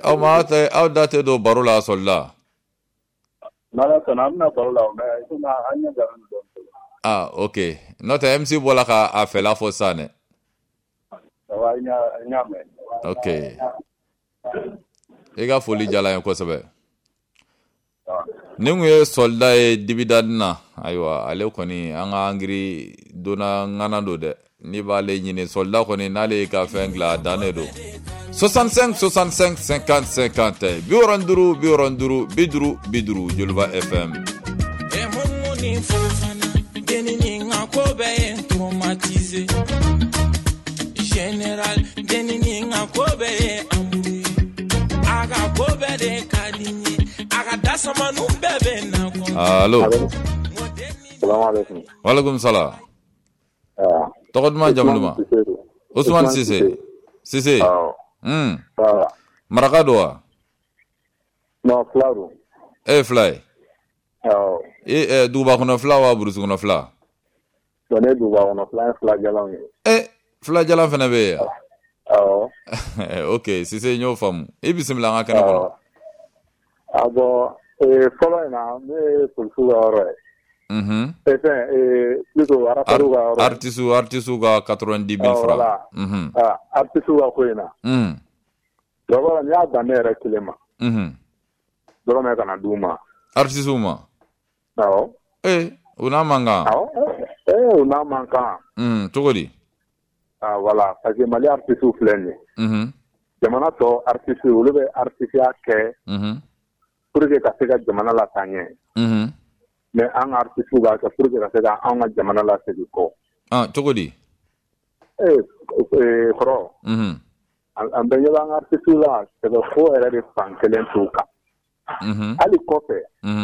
Aw ma aw da tɛ don baro la Sɔlila. Ah, ok. N'o tɛ MC bɔra ka a fɛla fɔ sisan dɛ. Ok. I ka foli diyara n ye kosɛbɛ. Nin kun ye Sɔlida ye dibidani na. Ayiwa, ale kɔni an ka angiri donna ŋana don dɛ. N'i b'ale ɲini Sɔlida kɔni n'ale y'i ka fɛn dilan a dan de don. 65 65 50 50 65 65 50 50 Joliba FM. E mun ni Fofana, denni ni n ka ko bɛɛ ye n traumatisé. Général, denni ni n ka ko bɛɛ ye embrouillé. A ka ko bɛɛ de ka di n ye. A ka dasamaniw bɛɛ bɛ na kɔ. Allo. Salamu alaikum. Walaikum salam. Tɔgɔ duman jamu duman? Ousmane Cissé. Cissé. Maraka don wa? Non, fila don. E ye fila ye? Awɔ. E duguba kɔnɔ fila wa burusi kɔnɔ fila? Bon, ne ye duguba kɔnɔ fila ye, fila jalanw ye. Fila jalan fana bɛ yen? Awɔ. Ok, Cissé n y'o faamu. I bisimila an ka kɛnɛ kɔnɔ. Ah bon, fɔlɔ in na, ne ye polisiw ka yɔrɔ ye. Fɛn, plutôt artistes ka yɔrɔ ye. Artistes ka 90 000 francs. Voilà. Artistes ka ko in na. D'abord, n'i y'a dan ne yɛrɛ kelen ma. Dɔrɔmɛ kana d'u ma. Artistes ma? Awɔ. U n'a man kan? Awɔ. U n'a man kan. Cogo di? Ah voilà, parce que Mali artistes filɛ nin ye. Jamana tɔ artistes olu bɛ artisiya kɛ. Pour que ka se ka jamana lataa ɲɛ. Mais an ka artistes b'a kɛ pour que ka se ka anw ka jamana lasegin kɔ. Ah, cogo di? Kɔrɔ. An bɛɛ ɲɛ b'an ka artistes la, sɛbɛ ko yɛrɛ de fan kelen t'u kan. Hali kɔfɛ,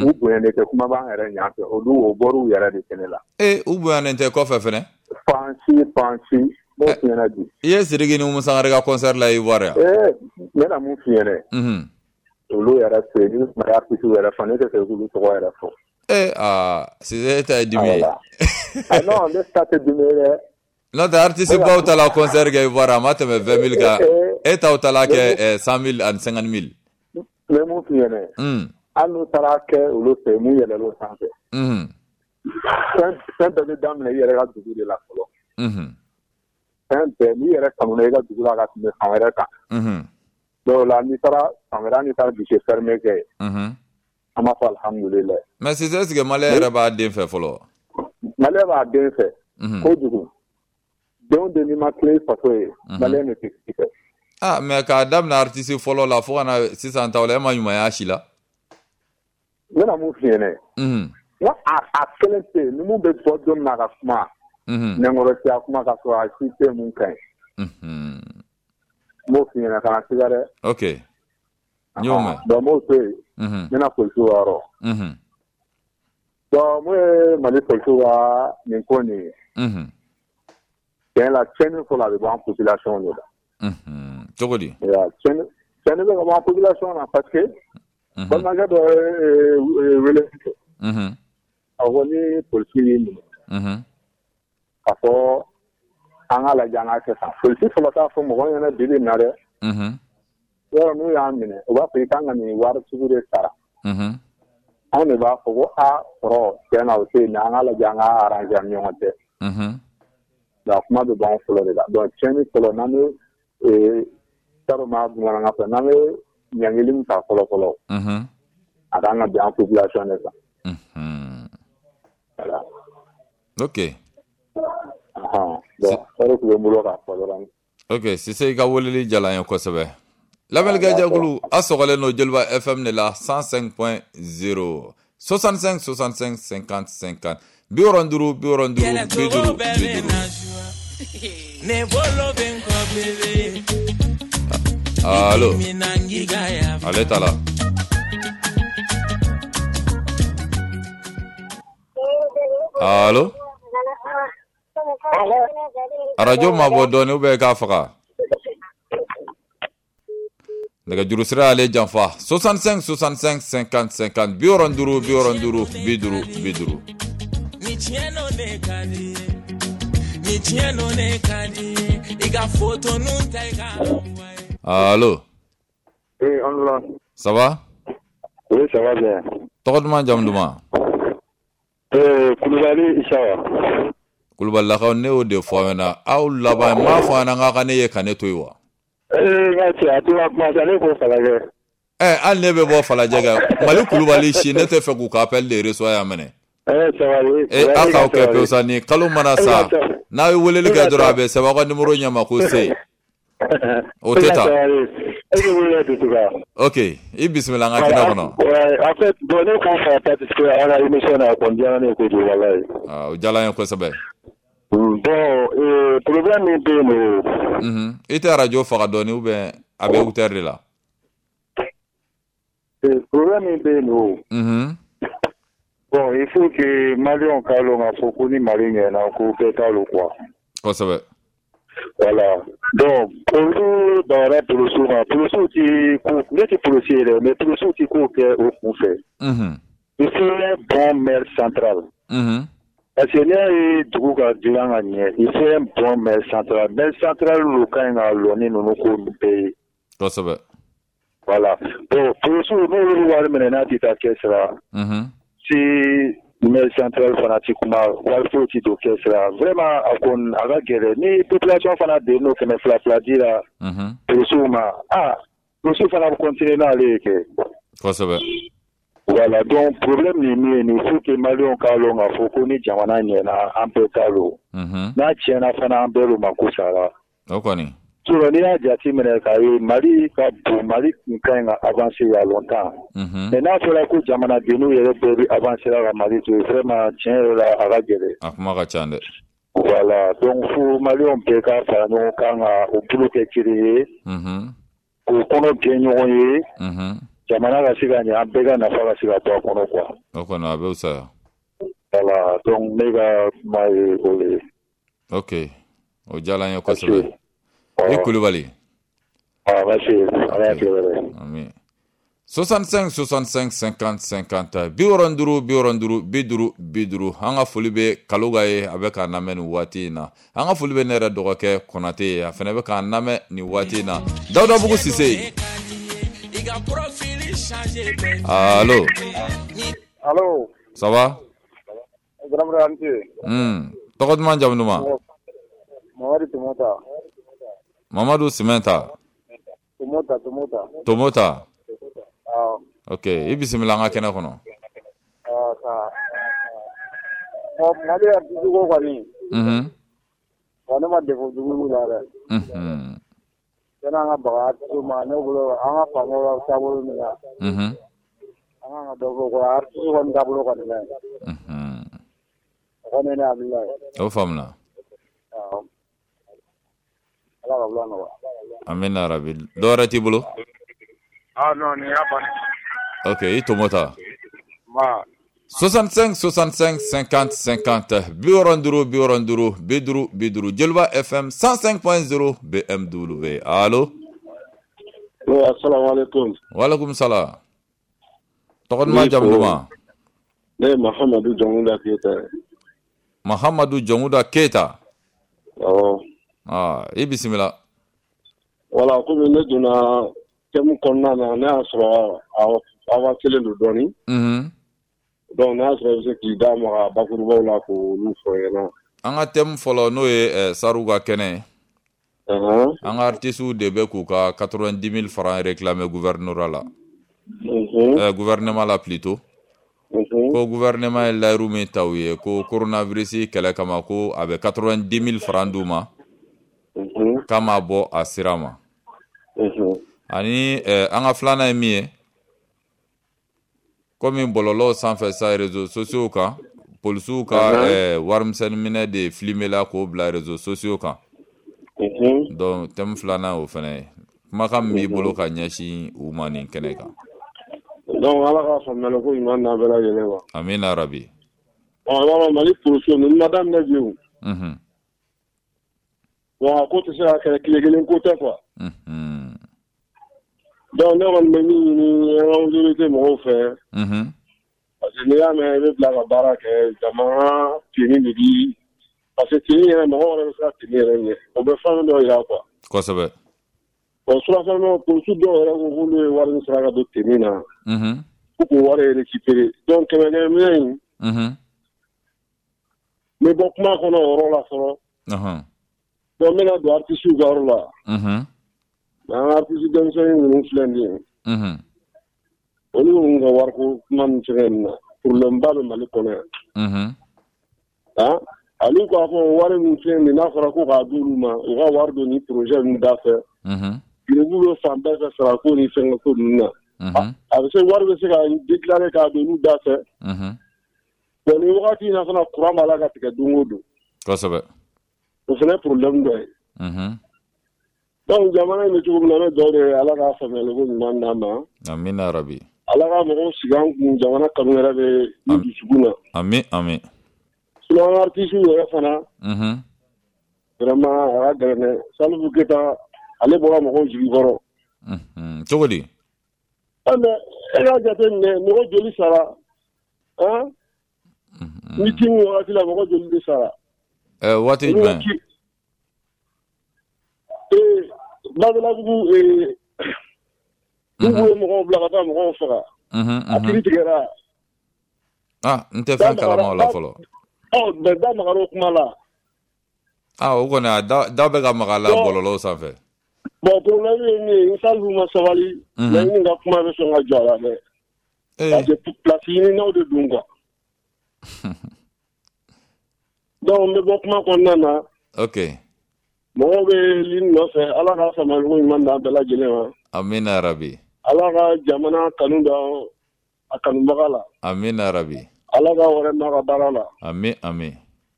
u bonyanen tɛ kuma b'an yɛrɛ ɲɛ fɛ, olu o bɔr'u yɛrɛ de kɛnɛ la. U bonyanen tɛ kɔfɛ fɛnɛ? Fan si, fan si. N b'o f'i ɲɛna bi. I ye Sidiki ni Umu Sangare ka concert la Ivoire yan? N bɛna mun f'i ɲɛna? Olu yɛrɛ fɛ yen, ni Mali artistes yɛrɛ fɔ, ne tɛ fɛ k'olu tɔgɔ yɛrɛ fɔ. Cissé e ta ye dimi ye. Ah non, ne ta tɛ dimi ye dɛ. N'o tɛ artiste baw ta la concert kɛ Ivoire a ma tɛmɛ 20 000 kan. E taw ta la kɛ 100 000 ani 50 000. N bɛ mun f'i ɲɛna? Hali n'u taara kɛ olu fɛ yen, mun yɛlɛl'o sanfɛ. Fɛn bɛɛ bɛ daminɛ i yɛrɛ ka dugu de la fɔlɔ. Fɛn bɛɛ n'i yɛrɛ kanuna i ka dugu la ka tɛmɛ fan wɛrɛ kan. Dɔw la n'i taara fan wɛrɛ n'i taara guichet fermé kɛ. An b'a fɔ alhamdulilayi. Mais sisan est-ce que malien yɛrɛ b'a den fɛ fɔlɔ? Malien b'a den fɛ. Kojugu. Den den n'i ma tilen i faso ye. Malien de tɛ k'i fɛ. Ah mais k'a daminɛ artiste fɔlɔ la fo ka na sisan taw la e ma ɲumanya si la. N bɛna mun f'i ɲɛnɛ. N ko a kelen tɛ yen ni mun bɛ bɔ don min na ka kuma. Nɛnkɔrɔsiya kuma ka sɔrɔ a si tɛ mun ka ɲi. N b'o f'i ɲɛna kana siga dɛ. Ok. N y'o mɛn. Donc n b'o to yen. N bɛna polisiw ka yɔrɔ. Donc mun ye Mali polisiw ka nin ko nin ye. Tiɲɛ la tiɲɛni fɔlɔ a bɛ bɔ an population de la. Cogo di? Tiɲɛni bɛ ka bɔ an population na parce que balimakɛ dɔ ye wele kɛ. A ko ni polisi y'i minɛ. K'a fɔ an k'a lajɛ an k'a kɛ tan. Polisi fɔlɔ t'a fɔ mɔgɔ ɲɛna bi bi in na dɛ. Yɔrɔ n'u y'a minɛ u b'a fɔ i kan ka nin wari sugu de sara. Anw de b'a fɔ ko a kɔrɔ tiɲɛ na o tɛ yen mais an k'a lajɛ an k'a arranger an ni ɲɔgɔn cɛ. Donc a kuma bɛ bɔ anw fɔlɔ de la. Donc tiɲɛni fɔlɔ n'an bɛ t'a dɔn n b'a bamanankan fɔ n'an bɛ ɲangili min ta fɔlɔ fɔlɔ. A kan ka bin an population de kan. Voilà. Ok. Donc o de tun bɛ n bolo k'a fɔ dɔrɔn. Ok Sise i ka weleli diyara n ye kosɛbɛ. Lamɛnnikɛ jɛkulu a sɔgɔlen don Joliba FM de la 105.0 65 65 50 50 65 65 50 50. Allo. Ale t'a la. Allo. Arajo mabɔ dɔɔni ou bien i k'a faga. Nɛgɛjuru sira y'ale janfa 65 65 50 50 65 65 50 50. Ni tiɲɛ n'o ne ka di ni tiɲɛ n'o ne ka di i ka photo nun ta i ka. Allo. Oui, on là. Ça va? Oui, ça va bien. Tɔgɔ duman jamu duman? Kulubali Isawa. Kulubalilakaw ne y'o de fɔ aw ɲɛna aw laban n m'a fɔ aw ɲɛna k'a ka ne ye ka ne to yen wa? Nka cɛ a tora kuma sa ne ko Falajɛ. Hali ne bɛ bɔ Falajɛ kɛ Mali Kulubali si ne tɛ fɛ k'u ka appel de reçoit yan minɛ. Sabali. Aw k'aw kɛ pewu sa nin kalo mana sa n'a ye weleli kɛ dɔrɔn a bɛ sɛbɛn aw ka numéro ɲɛma ko C. O tɛ taa. Ok i bisimila an ka kɛnɛ kɔnɔ. En fait bon ne ko ka participer à la émission na kɔni diyara ne ye kojugu walayi. O diyara n ye kosɛbɛ. Bon problème min bɛ yen nɔ. I tɛ arajo faga dɔɔni ou bien a bɛ écouteur de la. Problème min bɛ yen nɔ. Bon il faut que Maliens k'a lɔn k'a fɔ ko ni Mali ɲɛna ko bɛɛ t'a lɔn quoi. Kosɛbɛ. Voilà. Donc, olu bagara polisiw ma polisiw ti ko ne tɛ polisi ye dɛ mais polisiw ti ko kɛ o kun fɛ. Il faut un bon maire central. Parce que n'i y'a ye dugu ka dilan ka ɲɛ il faut un bon maire central. Maire central lo ka ɲi ka lɔ ni ninnu ko bɛɛ ye. Kosɛbɛ. Voilà. Bon polisiw n'olu wari minɛ n'a ti taa caisse la. Si maire central fana ti kuma wari foyi ti don caisse la vraiment a kɔni a ka gɛlɛn ni population fana den n'o 200 200 di la polisiw ma polisiw fana bɛ continuer n'ale ye kɛ. Kosɛbɛ. Voilà donc problème ni min ye nin il faut que Maliens k'a lɔn k'a fɔ ko ni jamana ɲɛna an bɛɛ ta lon. N'a tiɲɛna fana an bɛɛ lo mako sara. O kɔni. Sinon n'i y'a jateminɛ k'a ye Mali ka bon Mali tun ka ɲi ka avancer il y a longtemps. Mais n'a fɔra ko jamanadenw yɛrɛ bɛɛ bɛ avancer la ka Mali to yen vraiment tiɲɛ yɛrɛ la a ka gɛlɛn. A kuma ka ca dɛ. Voilà donc fo Maliens bɛɛ ka fara ɲɔgɔn kan ka o bolo kɛ kelen ye. K'o kɔnɔ gɛn ɲɔgɔn ye. Jamana ka se ka ɲɛ an bɛɛ ka nafa ka se ka bɔ a kɔnɔ quoi. O kɔni a bɛ fisaya. Voilà donc ne ka kuma ye o de ye. Ok o diyara n ye kosɛbɛ. I Kulubali. Merci. Ala k'i wele. Amin. 65 65 50 50 65 65 50 50 an ka foli bɛ Kaloga ye a bɛ k'an lamɛn nin waati in na. An ka foli bɛ ne yɛrɛ dɔgɔkɛ Konate ye a fana bɛ k'an lamɛn nin waati in na. Dawudabugu Sise. Allo. Allo. Ça va? Tɔgɔ duman, jamu duman? Mamadu Tomota. Mamadu Simɛnta. Tomota, Tomota. Tomota. Awɔ. Ok, i bisimila an ka kɛnɛ kɔnɔ. Ɔ, Mali artiste ko kɔni. Wa ne ma défaut jugu y'u la dɛ. Yanni an ka baga artiste ma, ne bolo an ka faamaw ka taabolo min na. An kan ka dɔ fɔ o ko la, artiste kɔni taabolo kɔni ka ɲi. O kɔni ye ne hakilina ye. O faamuna. Awɔ. Ala ka wula nɔgɔya. Amina rabi. Dɔ wɛrɛ t'i bolo? Ah non, nin y'a bannen. Ok, i Tomota. Nba. 65 65 50 50, 65 65 50 50, Joliba FM 105.0 BMW. Allo? Oui, assalamu alaikum. Walaikum salam. Tɔgɔ duman, jamu duman? Ne ye Mahamadu Jɔnkuda Keyita ye. Mahamadu Jɔnkuda Keyita. Awɔ. Ah, i bisimila. Voilà, komi ne donna thème kɔnɔna na, ne y'a sɔrɔ avancé don dɔɔni. Donc n'a sɔrɔ i bɛ se k'i da maga bakurubaw la k'olu fɔ n ɲɛna. An ka thème fɔlɔ, n'o ye Sariw ka kɛnɛ ye. An ka artistes de bɛ k'u ka 90 000 francs réclamer gouvernorat la. Gouvernement la plutôt. Ko gouvernement ye layiru min ta u ye ko coronavirus kɛlɛ kama, ko a bɛ 90 000 francs d'u ma. K'a ma bɔ a sira ma. Ani an ka filanan ye min ye, komi bɔlɔlɔw sanfɛ sa, réseaux sociaux kan, polisiw ka warimisɛnnin minɛ de filmer la k'o bila réseaux sociaux kan. Donc thème filanan o fana ye. Kumakan min b'i bolo ka ɲɛsin u ma nin kɛnɛ kan? Donc Ala ka faamuyali ko ɲuman d'an bɛɛ lajɛlen ma. Amina rabi. Ɔ, i b'a dɔn Mali polisiw ninnu ma daminɛ bi o. Bon, a ko tɛ se ka kɛlɛ tile kelen ko tɛ quoi. Donc ne kɔni bɛ min ɲini an ka autorité mɔgɔw fɛ. Parce que n'i y'a mɛn i bɛ bila ka baara kɛ, jamana tenue de bi, parce que tenue yɛrɛ, mɔgɔ wɛrɛ bɛ se ka tenue yɛrɛ ɲɛ, o bɛ fɛn dɔ yira quoi. Kosɛbɛ. Bon, surafɛn polisiw dɔw yɛrɛ ko k'olu ye wari min sara ka don tenue na. Ko k'o wari récupérer, donc kɛmɛ kɛmɛ minɛ in. N bɛ bɔ kuma kɔnɔ o yɔrɔ la fɔlɔ. Donc n bɛna don artiste ka yɔrɔ la. An ka artiste denmisɛnnin ninnu filɛ nin ye. Olu ninnu ka wariko kuma min fɛngɛ nin na, problème ba bɛ Mali kɔnɔ yan. Ah, olu k'a fɔ wari min filɛ nin ye, n'a fɔra ko k'a d'olu ma, u ka wari don ni projet ninnu da fɛ. Giribu bɛ fan bɛɛ fɛ sarako ni fɛngɛ ko ninnu na. A bɛ se, wari bɛ se ka déclarer k'a don olu da fɛ. Bon, nin wagati in na fana, courant b'a la ka tigɛ don o don. Kosɛbɛ. O fana ye problème dɔ ye. Donc jamana in bɛ cogo min na, ne dugawu de ye Ala k'a faamuyali ko ɲuman d'an ma. Amina rabi. Ala ka mɔgɔw sigi an kun, jamana kanu yɛrɛ bɛ i dusukun na. Ami ami. Sinon an artistes yɛrɛ fana. Vraiment a ka gɛlɛn dɛ. Salifu Keyita, ale bɔra mɔgɔw jigi kɔrɔ. Cogo di? Ɛ mais e k'a jateminɛ, mɔgɔ joli sara? Han? Meeting wagati la, mɔgɔ joli de sara? Ɛ, waati jumɛn? Ee, Badalabugu, n'u ye mɔgɔw bila ka taa mɔgɔw faga. A kiiri tigɛra. Ah, n tɛ fɛn kalama o la fɔlɔ. Ɔ, mais da magara o kuma la. Ah, o kɔni, a da bɛ ka maga a la bɔlɔlɔw sanfɛ. Bon, problème ye min ye, ni Salifu ma sabali, laɲini ka kuma bɛ sɔn ka jɔ a la dɛ. Parce que place ɲininaw de don quoi. Donc n bɛ bɔ kuma kɔnɔna na. Ok. Mɔgɔw bɛ ligne nɔfɛ, Ala ka faamuyali ko ɲuman d'an bɛɛ lajɛlen ma. Amina rabi. Ala ka jamana kanu da a kanubaga la. Amina rabi. Ala ka wɛrɛ n'a ka baara la. Ami ami.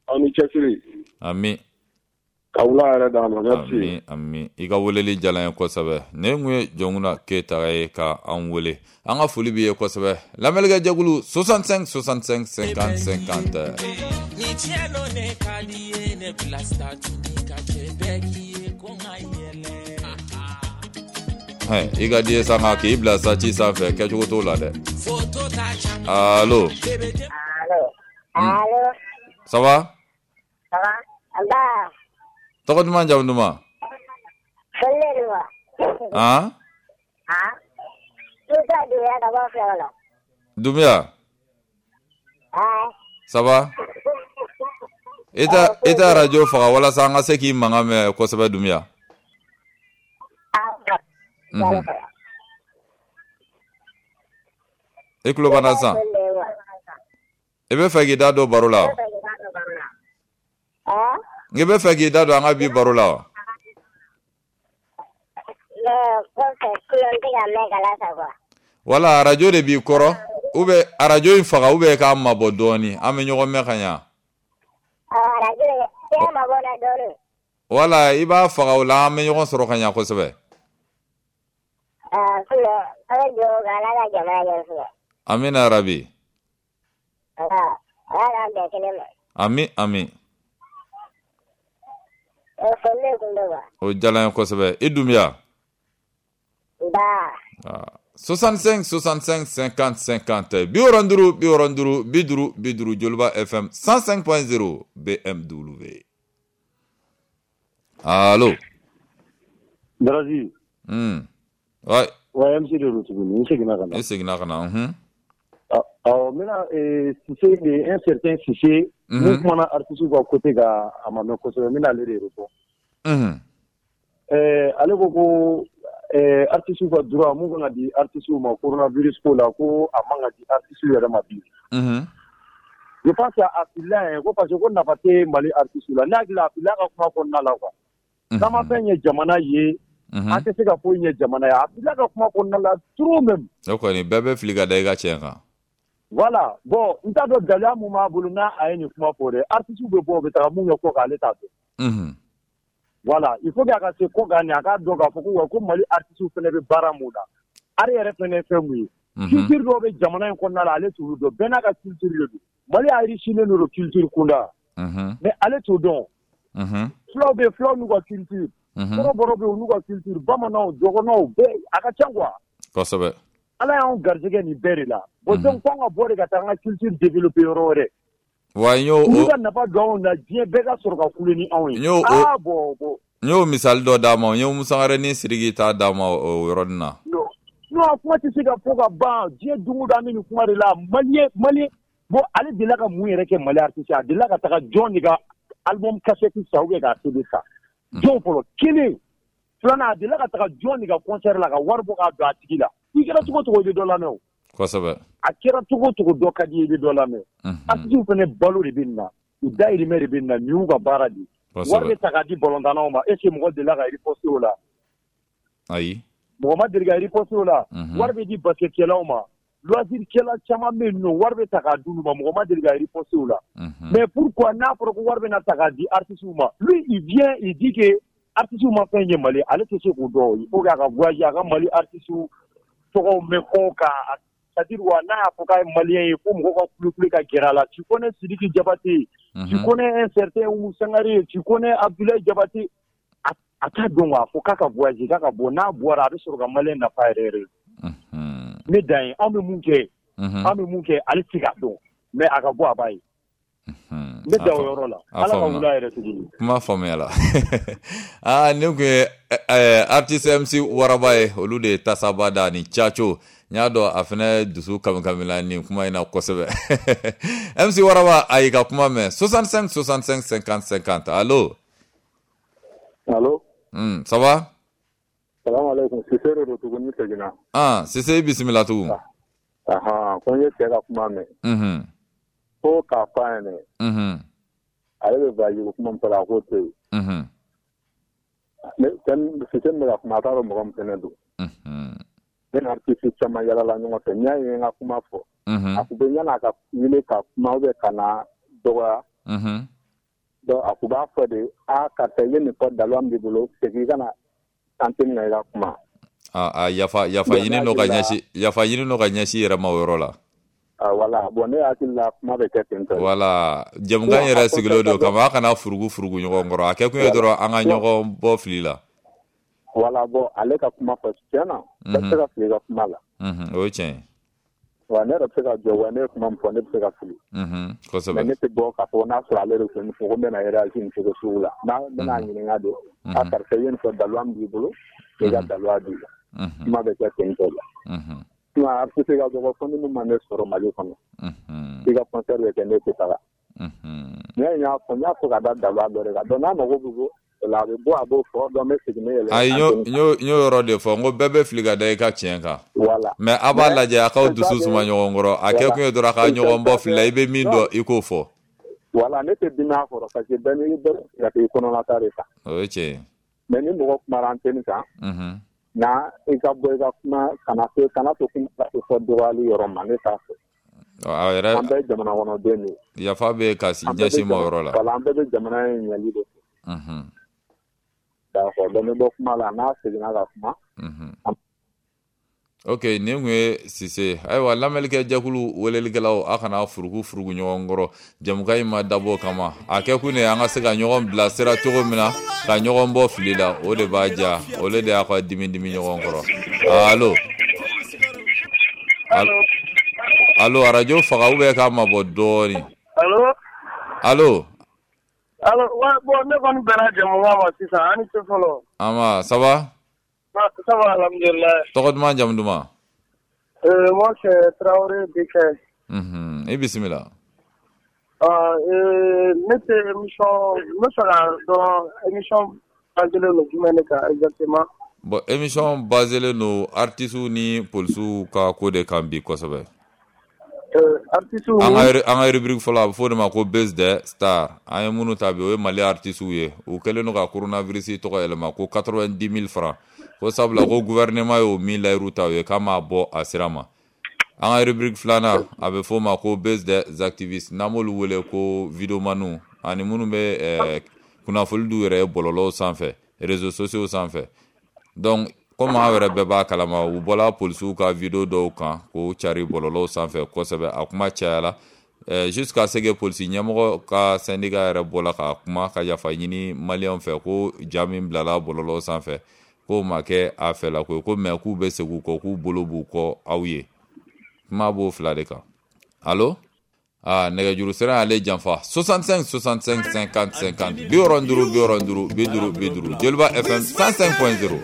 Aw ni cɛsiri. Ami. Ka wula yɛrɛ d'an ma, merci. Ami ami. I ka weleli diyara n ye kosɛbɛ. Ne kun ye Jɔnkunda Keyita ye ka an wele. An ka foli b'i ye kosɛbɛ. Lamɛnnikɛ jɛkulu, 65 65 50 50. Ni tiɲɛ don, ne ka di ye, ne bila statut ka cɛ bɛɛ k'i ye ko n ka yɛlɛ. Hɛ, i ka di ye sa, nka k'i bila statut sanfɛ, kɛcogo t'o la dɛ. Photo ta caman. Allo? Allo? Allo? Ça va? Ça va? Nba. Tɔgɔ duman, jamu duman? Foli de wa? Han? Han? Musa Dunbiya ka bɔ Filakɔnɔ. Dunbiya? Ah. Ça va? E tɛ arajo faga walasa an ka se k'i mankan mɛn kosɛbɛ, Dunbiya. I tulo b'an na sisan? I bɛ fɛ k'i da don baro la wa? I bɛ fɛ k'i da don an ka bi baro la wa? Wala arajo de b'i kɔrɔ, ou bien arajo in faga, ou bien k'a mabɔ dɔɔni, an bɛ ɲɔgɔn mɛn ka ɲa. Wala i b'a faga, o la an bɛ ɲɔgɔn sɔrɔ ka ɲa kosɛbɛ. Amina rabi. Ami ami. O diyara n ye kosɛbɛ. I Dunbiya. 65 65 50 50, 65 65 50 50, Joliba FM 105.0 BMW. Allo. Darazi. Ouais. Ouais, MC de don tuguni, n seginna ka na. I seginna ka na. Awɔ, n bɛna Cissé de, un certain Cissé mun kumana artiste ka côté kan, a ma mɛn kosɛbɛ, n bɛna ale de répond. Ale ko artiste ka droit mun kan ka di artiste ma coronavirus ko la, ko a man ka di artiste yɛrɛ ma bi. Je pense que a filila yen, ko parce que ko nafa tɛ Mali artiste la. Ne hakili la, a filila ka kuma kɔnɔna la quoi. N'an ma fɛn ɲɛ jamana ye, an tɛ se ka foyi ɲɛ jamana ye. A filila ka kuma kɔnɔna la trop même. O kɔni, bɛɛ bɛ fili ka da i ka tiɲɛ kan. Voilà, bon, n t'a dɔn gɛlɛya mun b'a bolo n'a a ye nin kuma fɔ dɛ. Artiste bɛ bɔ, u bɛ taga mun kɛ kɔ kan, ale t'a dɔn. Voilà, il faut que a ka se kɔ kan nin, a k'a dɔn k'a fɔ ko wa ko Mali artiste fana bɛ baara mun na. Art yɛrɛ fana ye fɛn mun ye. Culture dɔw bɛ jamana in kɔnɔna la, ale t'olu dɔn. Bɛɛ n'a ka culture de don. Mali enrichilen don culture kunda. Mais ale t'o dɔn. Fulaw bɛ yen, fulaw n'u ka culture. Kɔrɔbɔrɔw bɛ yen, u n'u ka culture. Bamananw, dɔgɔnɔw, bɛɛ a ka ca quoi. Kosɛbɛ. Ala y'anw garijɛgɛ nin bɛɛ de la. Bon, donc f'anw ka bɔ de ka taa an ka culture développer yɔrɔ wɛrɛ. Wa n y'o olu ka nafa don anw na, diɲɛ bɛɛ ka sɔrɔ ka kule ni anw ye. Ah bon bon. N y'o misali dɔ d'a ma, n ye Umu Sangare ni Sidiki ta d'a ma o yɔrɔnin na. Non, a kuma tɛ se ka fɔ ka ban. Diɲɛ don o don an bɛ nin kuma de la. Malien, bon, ale delila ka mun yɛrɛ kɛ Mali artiste? A delila ka taga jɔn de ka album cassette san ou bien k'a CD san? Jɔn fɔlɔ? Kelen. Filanan, a delila ka taga jɔn de ka concert la ka wari bɔ k'a don a tigi la? I kɛra cogo o cogo, i bɛ dɔ lamɛn o. Kosɛbɛ. A kɛra cogo o cogo, dɔ ka di i ye, i bɛ dɔ lamɛn. Artistes fana balo de bɛ nin na, u dahirimɛ de bɛ nin na, nin y'u ka baara de ye. Wari bɛ ta k'a di balontannaw ma, est ce que mɔgɔ delila ka riposter o la? Ayi. Mɔgɔ ma deli ka riposter o la. Wari bɛ di basketkɛlaw ma, loisir kɛla caman bɛ yen nɔ, wari bɛ ta k'a d'olu ma, mɔgɔ ma deli ka riposter o la. Mais pourquoi n'a fɔra ko wari bɛna ta k'a di artistes ma, lui il vient, il dit que artistes ma fɛn ye Mali, ale tɛ se k'o dɔn. Il faut k'a ka voyager, a ka Mali artistes tɔgɔw mɛn kɔ kan, c'est-à-dire wa n'a y'a fɔ k'a ye malien ye, fo mɔgɔw ka kule ka gɛrɛ a la. Tu connais Sidiki Diabaté, tu connais un certain Oumou Sangaré, tu connais Abdoulaye Diabaté, a t'a dɔn quoi. Fo k'a ka voyager, k'a ka bɔ, n'a bɔra, a bɛ sɔrɔ ka malien nafa yɛrɛ yɛrɛ. Ne dan ye, anw bɛ mun kɛ, an bɛ mun kɛ, ale tɛ se k'a dɔn, mais a ka bɔ, a b'a ye. Ne da o yɔrɔ la. Ala ka wula yɛrɛ tuguni. Kuma faamuyala. Aa, nin kun ye artiste MC Waraba ye, olu de ye tasaba da ni Caco. N y'a dɔn a fana dusu kamikamila nin kuma in na kosɛbɛ. MC Waraba, a y'i ka kuma mɛn. 65 65 50 50. Allo. Allo. Ça va? Salamu alaikum. Sise de don tuguni, seginna. Ah, Sise, i bisimila tugun. Ahan, ko n ye cɛ ka kuma mɛn. Ko k'a fɔ a ɲɛnɛ. Ale bɛ voyage ko kuma min fɔ la, a k'o to yen. Ne Sise min bɛ ka kuma, a t'a dɔn mɔgɔ min fɛnɛ don. Ne ni artiste caman yalala ɲɔgɔn fɛ. N'i y'a ye n ka kuma fɔ, a kun bɛ yan'a ka wele ka kuma ou bien ka na dɔgɔya. Donc a kun b'a fɔ de: a karisa, i ye nin fɔ, daluya min b'i bolo, segin i ka na antenne na, i ka kuma. A yafa ɲini n'o ka ɲɛsin, yafa ɲini n'o ka ɲɛsin i yɛrɛ ma o yɔrɔ la. Ah, voilà, bon, ne hakili la, kuma bɛ kɛ ten tɔ. Voilà, jɛmukan yɛrɛ sigilen don kama, a kana furugu furugu ɲɔgɔn kɔrɔ, a kɛ kun ye dɔrɔn an ka ɲɔgɔn bɔ fili la. Voilà, bon, ale ka kuma fɔ tiɲɛ na, bɛɛ bɛ se ka fili i ka kuma la. O ye tiɲɛ ye. Wa ne yɛrɛ bɛ se ka jɔ, wa ne ye kuma min fɔ, ne bɛ se ka fili. Kosɛbɛ. Mais ne tɛ bɔ k'a fɔ n'a sɔrɔ ale de tun fɔ ko n bɛna réagir nin cogo sugu la. N'a n bɛna ɲininka de: a karisa, i ye nin fɔ, daluya min b'i bolo, i ka daluya di. Kuma bɛ kɛ ten tɔ la. Sinon artiste ka dɔgɔ, fo ni min ma ne sɔrɔ Mali kɔnɔ. I ka concert bɛ kɛ, ne tɛ taga. Ne y'a fɔ n y'a fɔ ka da daba dɔ de kan donc n'a mago bɛ o la a bɛ bɔ a b'o fɔ donc n bɛ segin n bɛ yɛlɛ. Ayi n y'o yɔrɔ de fɔ n ko bɛɛ bɛ fili ka da i ka tiɲɛ kan. Voilà. Mais a b'a lajɛ a k'aw dusu suma ɲɔgɔn kɔrɔ a kɛ kun ye dɔrɔn a ka ɲɔgɔn bɔ fili la i bɛ min dɔn i k'o fɔ. Voilà ne tɛ dimi a kɔrɔ parce que bɛɛ n'i bɛ ka i kɔnɔnata de ta. O ye tiɲɛ ye. Mais ni mɔgɔ kumara antenne kan. Na i ka bɔ i ka kuma kana to kuma ka se fɔ dɔgɔyali yɔrɔ ma ne t'a fɛ. A yɛrɛ an bɛɛ ye jamana kɔnɔden de ye. Yafa bɛ ka ɲɛsin ma o yɔrɔ la. Voilà an bɛɛ bɛ jamana in ɲɛli de fɛ. D'accord donc n bɛ bɔ kuma la n'a seginna ka kuma. Ok nin kun ye Sise ayiwa lamɛnlikɛ jɛkulu welelikɛlaw a kana furuku furuku ɲɔgɔn kɔrɔ jɛmukan in ma dabɔ kama a kɛ kun de an ka se ka ɲɔgɔn bilasira cogo min na ka ɲɔgɔn bɔ fili la o de b'a diya o de y'a ka dimi dimi ɲɔgɔn kɔrɔ. Allo allo arajo faga ou bien k'a mabɔ dɔɔnin. Allo allo allo bon ne kɔni bɛnna jɛmukan ma sisan an ni ce fɔlɔ. An ça va. Ça va, alhamdulillah. Tɔgɔ duman jamu duman? Moi c'est Traoré Bikɛ. I bisimila. Ne tɛ émission n bɛ fɛ k'a dɔn émission basé len don jumɛn de kan exactement? Bon émission basé len don artistes ni polisiw ka ko de kan bi kosɛbɛ. Artistes an ka rubrique fɔlɔ a bɛ fɔ o de ma ko Buzz des stars an ye minnu ta bi o ye Mali artistes ye u kɛlen don ka coronavirus tɔgɔ yɛlɛma ko 90 000 francs ko sabula ko gouvernement y'o min layiru ta u ye k'a m'a bɔ a sira ma. An ka rubrique filanan a bɛ fɔ o ma ko Buzz des activistes n'an b'olu wele ko videomaniw ani minnu bɛ kunnafoni d'u yɛrɛ ye bɔlɔlɔw sanfɛ réseaux sociaux sanfɛ donc komi aw yɛrɛ bɛɛ b'a kalama u bɔla polisiw ka video dɔw kan k'o cari bɔlɔlɔw sanfɛ kosɛbɛ a kuma cayala jusqu'à ce que polisi ɲɛmɔgɔ ka syndicat yɛrɛ bɔla ka kuma ka yafa ɲini maliyɛnw fɛ ko ja min bilala bɔlɔlɔw sanfɛ k'o ma kɛ a fɛla ko ye ko mais k'u bɛ segin u kɔ k'u bolo b'u kɔ aw ye kuma b'o fila de kan. Allo nɛgɛjuru sira y'ale janfa 65 65 50 50 65 65 50 Joliba FM 105.0.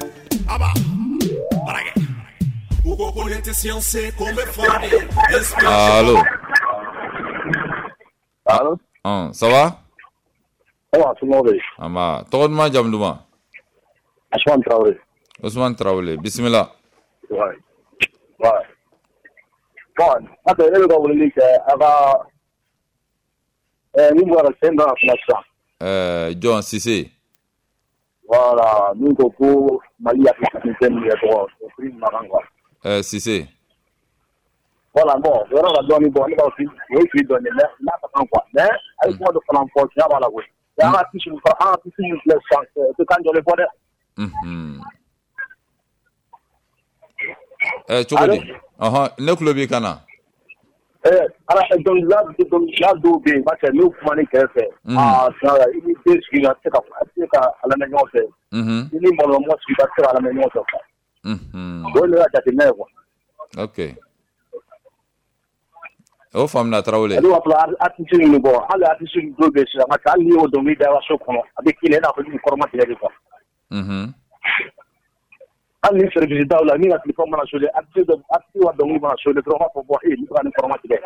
Allo. Allo. Ça va? Ça va, tout le monde. Amba, tɔgɔ duman jamu duman? Ousmane Traoré. Ousmane Traoré, bisimila. Ouais. Ouais. Bon, ne bɛ ka weleli kɛ a ka min bɔra sen dɔ la sisan. Jɔn Sise. Voilà, min ko ko Mali africain min yɛrɛ tɔgɔ o prix makan quoi. Sise. Voilà, bon, yɔrɔ la dɔɔni bɔ ne b'a fɔ o ye fili dɔɔni mais n'a ka kan quoi. Mais a ye kuma dɔ fana fɔ tiɲɛ b'a la koyi. An ka artiste min filɛ sisan o tɛ kan jɔlen fɔ dɛ. Cogo di? Ne tulo b'i kan na. Ala dɔnkilidala dɔw bɛ yen parce que n'u kuma ni kɛrɛfɛ. Tiɲɛ la i ni den sigi a tɛ se ka a lamɛn ɲɔgɔn fɛ. I ni mɔgɔ sigi a tɛ se ka a lamɛn ɲɔgɔn fɛ quoi. O ye ne ka jateminɛ ye quoi. Ok. O faamuna Tarawele. Ale b'a fɔ artiste ninnu bɔ hali artiste dɔw bɛ yen sisan parce que hali n'i y'o dɔnkili da i ka so kɔnɔ a bɛ k'i la i n'a fɔ i b'i kɔrɔma tigɛ de quoi. Hali ni service daw la min ka téléphone mana sonné artiste ka dɔnkili mana sonné dɔrɔn u b'a fɔ bon nin bɛ ka nin kɔrɔma tigɛ.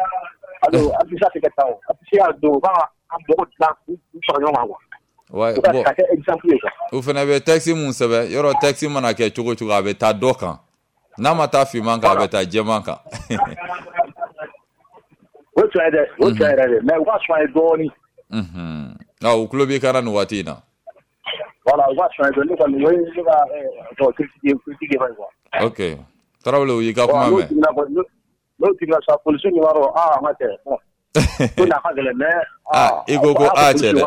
Alors artiste tɛ kɛ tan o artiste y'a dɔn u b'a ka mɔgɔ dilan k'u fara ɲɔgɔn kan quoi. Ouais, bon. Ka kɛ exemple ye quoi. O fana bɛ texte mun sɛbɛn yɔrɔ texte mana kɛ cogo cogo a bɛ taa dɔ kan n'a ma taa finman kan a bɛ taa jɛman kan. O tiɲɛ ye dɛ o tiɲɛ yɛrɛ de mais u ka soigner dɔɔnin. U tulo b'i kan na nin waati in na. Voilà, u ka soigner dɔɔnin ne kɔni o ye ne ka critique ye quoi. Ok Tarawele u y'i ka kuma mɛn. N'o jiginna sa polisiw ɲɛ b'a dɔn an ka cɛ bon ko nin a ka gɛlɛn mais. I ko ko cɛ dɛ.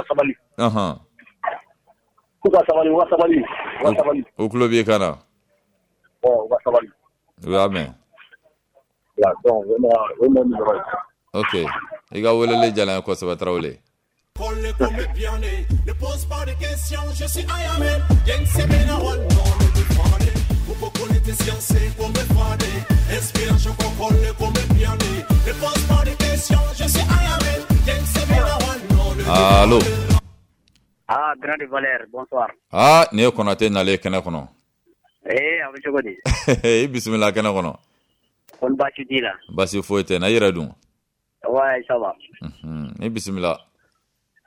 K'u ka sabali u ka sabali u ka sabali. U tulo b'i kan na. Bon u ka sabali. U y'a mɛn. Donc o ye ne yɔrɔ ye. Ok i ka weleli diyara n ye kosɛbɛ Tarawele. Allo. Grande Valère, bonsoir. Nin ye Konate nalen kɛnɛ kɔnɔ. A bɛ cogo di? I bisimila kɛnɛ kɔnɔ. Kɔni baasi t'i la? Baasi foyi tɛ n na, i yɛrɛ dun? Ouais, ça va. I bisimila.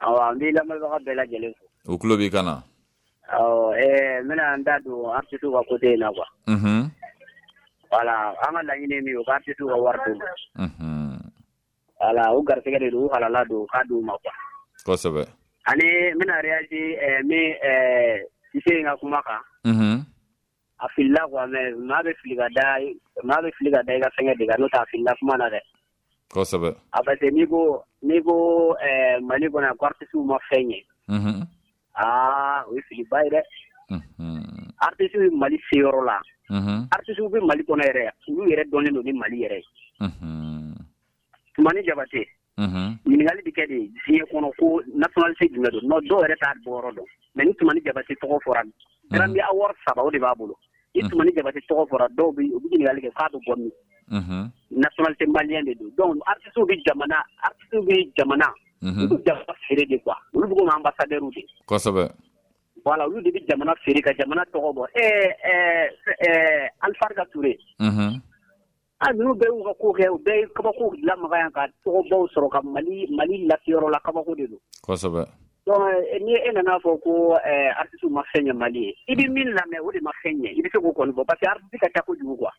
Awɔ, n b'i lamɛnbaga bɛɛ lajɛlen fo. U tulo b'i kan na. Awɔ, n bɛna n da don artiste ka côté in na quoi. Voilà, an ka laɲini ye min ye, u ka artiste ka wari d'u ma. Voilà, u garisɛgɛ de don, u halala don, u k'a d'u ma quoi. Kosɛbɛ. Ani n bɛna réagir min Sise in ka kuma kan. A filila quoi, mais maa bɛ fili ka da i ka fɛngɛ de kan, n'o tɛ a filila kuma na dɛ. Kosɛbɛ. A parce que n'i ko Mali kɔnɔ yan ko artiste ma fɛn ɲɛ. Aa, o ye filiba ye dɛ. Artiste bɛ Mali se yɔrɔ la. Artiste bɛ Mali kɔnɔ yɛrɛ, olu yɛrɛ dɔnnen don ni Mali yɛrɛ ye. Tumani Jabate. Ɲininkali bɛ kɛ de diɲɛ kɔnɔ ko nationalité jumɛn don? Non, dɔw yɛrɛ t'a bɔyɔrɔ dɔn. Mais ni Tumani Jabate tɔgɔ fɔra, Grammy Award 3 o de b'a bolo. Ni Tumani Jabate tɔgɔ fɔra, dɔw bɛ u bɛ ɲininkali kɛ k'a bɛ bɔ min? Nationalité malienne de don. Donc artiste bɛ jamana, olu bɛ jamana feere de quoi. Olu bɛ komi ambassadeur de. Kosɛbɛ. Voilà, olu de bɛ jamana feere ka jamana tɔgɔ bɔ. Alpha Touré. Ah, ninnu bɛɛ y'u ka ko kɛ, u bɛɛ ye kabako lamaga yan ka tɔgɔbaw sɔrɔ ka Mali laseyɔrɔ la, kabako de don. Kosɛbɛ. Donc ni e nana fɔ ko artiste ma fɛn ɲɛ Mali ye, i bɛ min lamɛn o de ma fɛn ɲɛ, i bɛ se k'o kɔni fɔ parce que artiste ka ca kojugu quoi.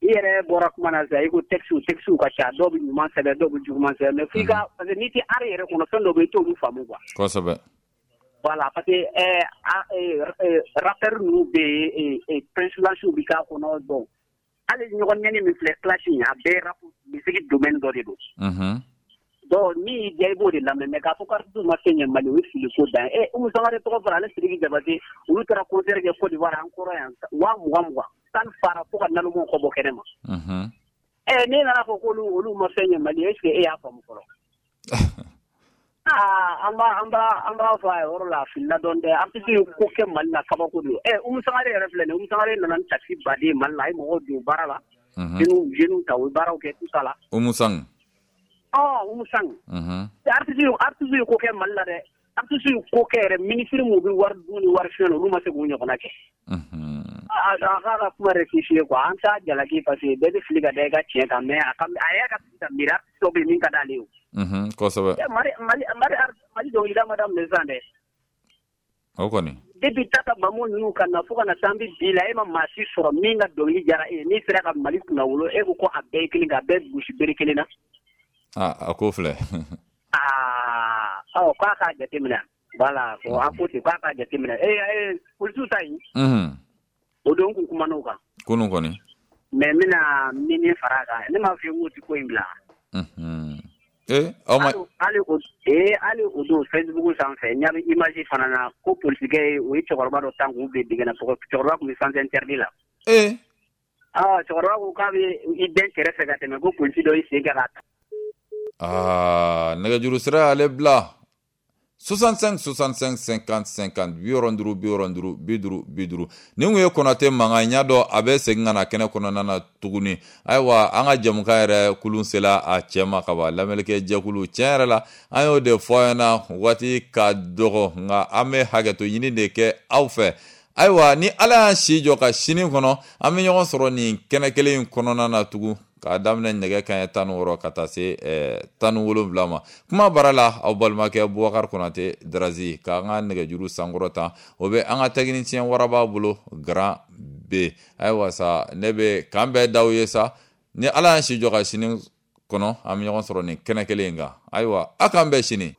I yɛrɛ bɔra kuma na sisan, i ko textes ka ca, dɔw bɛ ɲuman sɛbɛn, dɔw bɛ juguman sɛbɛn, mais f'i ka, parce que n'i tɛ art yɛrɛ kɔnɔ, fɛn dɔw bɛ yen i t'olu faamu quoi. Kosɛbɛ. Voilà, parce que rappeur ninnu bɛ yen, Prince Lansiw bɛ k'a kɔnɔ, donc hali ɲɔgɔn ɲɛni min filɛ clash in, a bɛɛ rap musique domaine dɔ de don. Donc min y'i diya i b'o de lamɛn, mais k'a fɔ ko artiste ma fɛn ɲɛ Mali, o ye fili ko dan ye. Umu Sangare tɔgɔ fɔra, ale Sidiki Jabate, olu taara concert kɛ Côte d'Ivoire an kɔrɔ yan 20,000 salle fara fo ka nalomaw kɔ bɔ kɛnɛ ma. N'e nana fɔ k'olu olu ma fɛn ɲɛ Mali, est ce que e y'a faamu fɔlɔ? Aa, an b'a fɔ a yɔrɔ la, a filila dɔɔni dɛ. Artiste ye ko kɛ Mali la, kabako don. Umu Sangare yɛrɛ filɛ nin ye, Umu Sangare nana ni taxi baden ye Mali la, a ye mɔgɔw don baara la. Jeunes ta, u ye baaraw kɛ tout ça la. Umu Sang. Umu Sang. Artiste ye ko kɛ Mali la dɛ. Artiste ye ko kɛ yɛrɛ, ministre mun bɛ wari dun ni wari fiɲɛ na, olu ma se k'u ɲɔgɔnna kɛ. A k'a ka kuma rectifier quoi, an t'a jalaki parce que bɛɛ bɛ fili ka da i ka tiɲɛ kan, mais a y'a ka fili ka miiri, artiste dɔ bɛ yen min ka d'ale ye o. Kosɛbɛ. Mali dɔnkilida ma daminɛ sisan dɛ. O kɔni. Depuis Tata Bamu ninnu ka na fo ka na se an bɛ bi la, e ma maa si sɔrɔ min ka dɔnkili diyara e ye, n'i sera ka Mali kunnawolo, e ko ko a bɛɛ ye kelen, k'a bɛɛ gosi bere kelen na. A ko filɛ. Aa, k'a k'a jateminɛ. Voilà, a ko ten k'a k'a jateminɛ. Polisiw ta yen. O don kun kumana o kan. Kunun kɔni. Mais n bɛna min fara a kan, ne m'a f'i ye k'o tɛ ko in bila. Hali o don Facebook sanfɛ, n ɲa bɛ image fana na ko polisikɛ ye, o ye cɛkɔrɔba dɔ tan k'u bila dingɛ na, cɛkɔrɔba tun bɛ sens interdit la. Cɛkɔrɔba ko k'a bɛ i dɛn kɛrɛfɛ ka tɛmɛ, ko polisi dɔ y'i sen kɛ k'a ta. Aa, nɛgɛjuru sira y'ale bila. 65 65 50 50 65 65 50 50. Nin kun ye Konate mankan ye, n y'a dɔn a bɛ segin ka na kɛnɛ kɔnɔna na tuguni. Ayiwa, an ka jɛmukan yɛrɛ kulun sela a cɛ ma ka ban. Lamɛnnikɛ jɛkulu, tiɲɛ yɛrɛ la, an y'o de fɔ aw ɲɛna, waati ka dɔgɔ, nka an bɛ hakɛto ɲini de kɛ aw fɛ. Ayiwa, ni Ala y'an si jɔ ka sini kɔnɔ, an bɛ ɲɔgɔn sɔrɔ nin kɛnɛ kelen in kɔnɔna na tugun, k'a daminɛ nɛgɛ kanɲɛ 16 ka taa se 17 ma. Kuma baara la, aw balimakɛ Bubakari Konate Darazi k'an ka nɛgɛjuru sankɔrɔ tan, o bɛ an ka technicien waraba bolo Grand B. Ayiwa sa, ne bɛ k'an bɛɛ daw ye sa, ni Ala y'an si jɔ ka sini kɔnɔ, an bɛ ɲɔgɔn sɔrɔ nin kɛnɛ kelen in kan. Ayiwa, a k'an bɛn sini.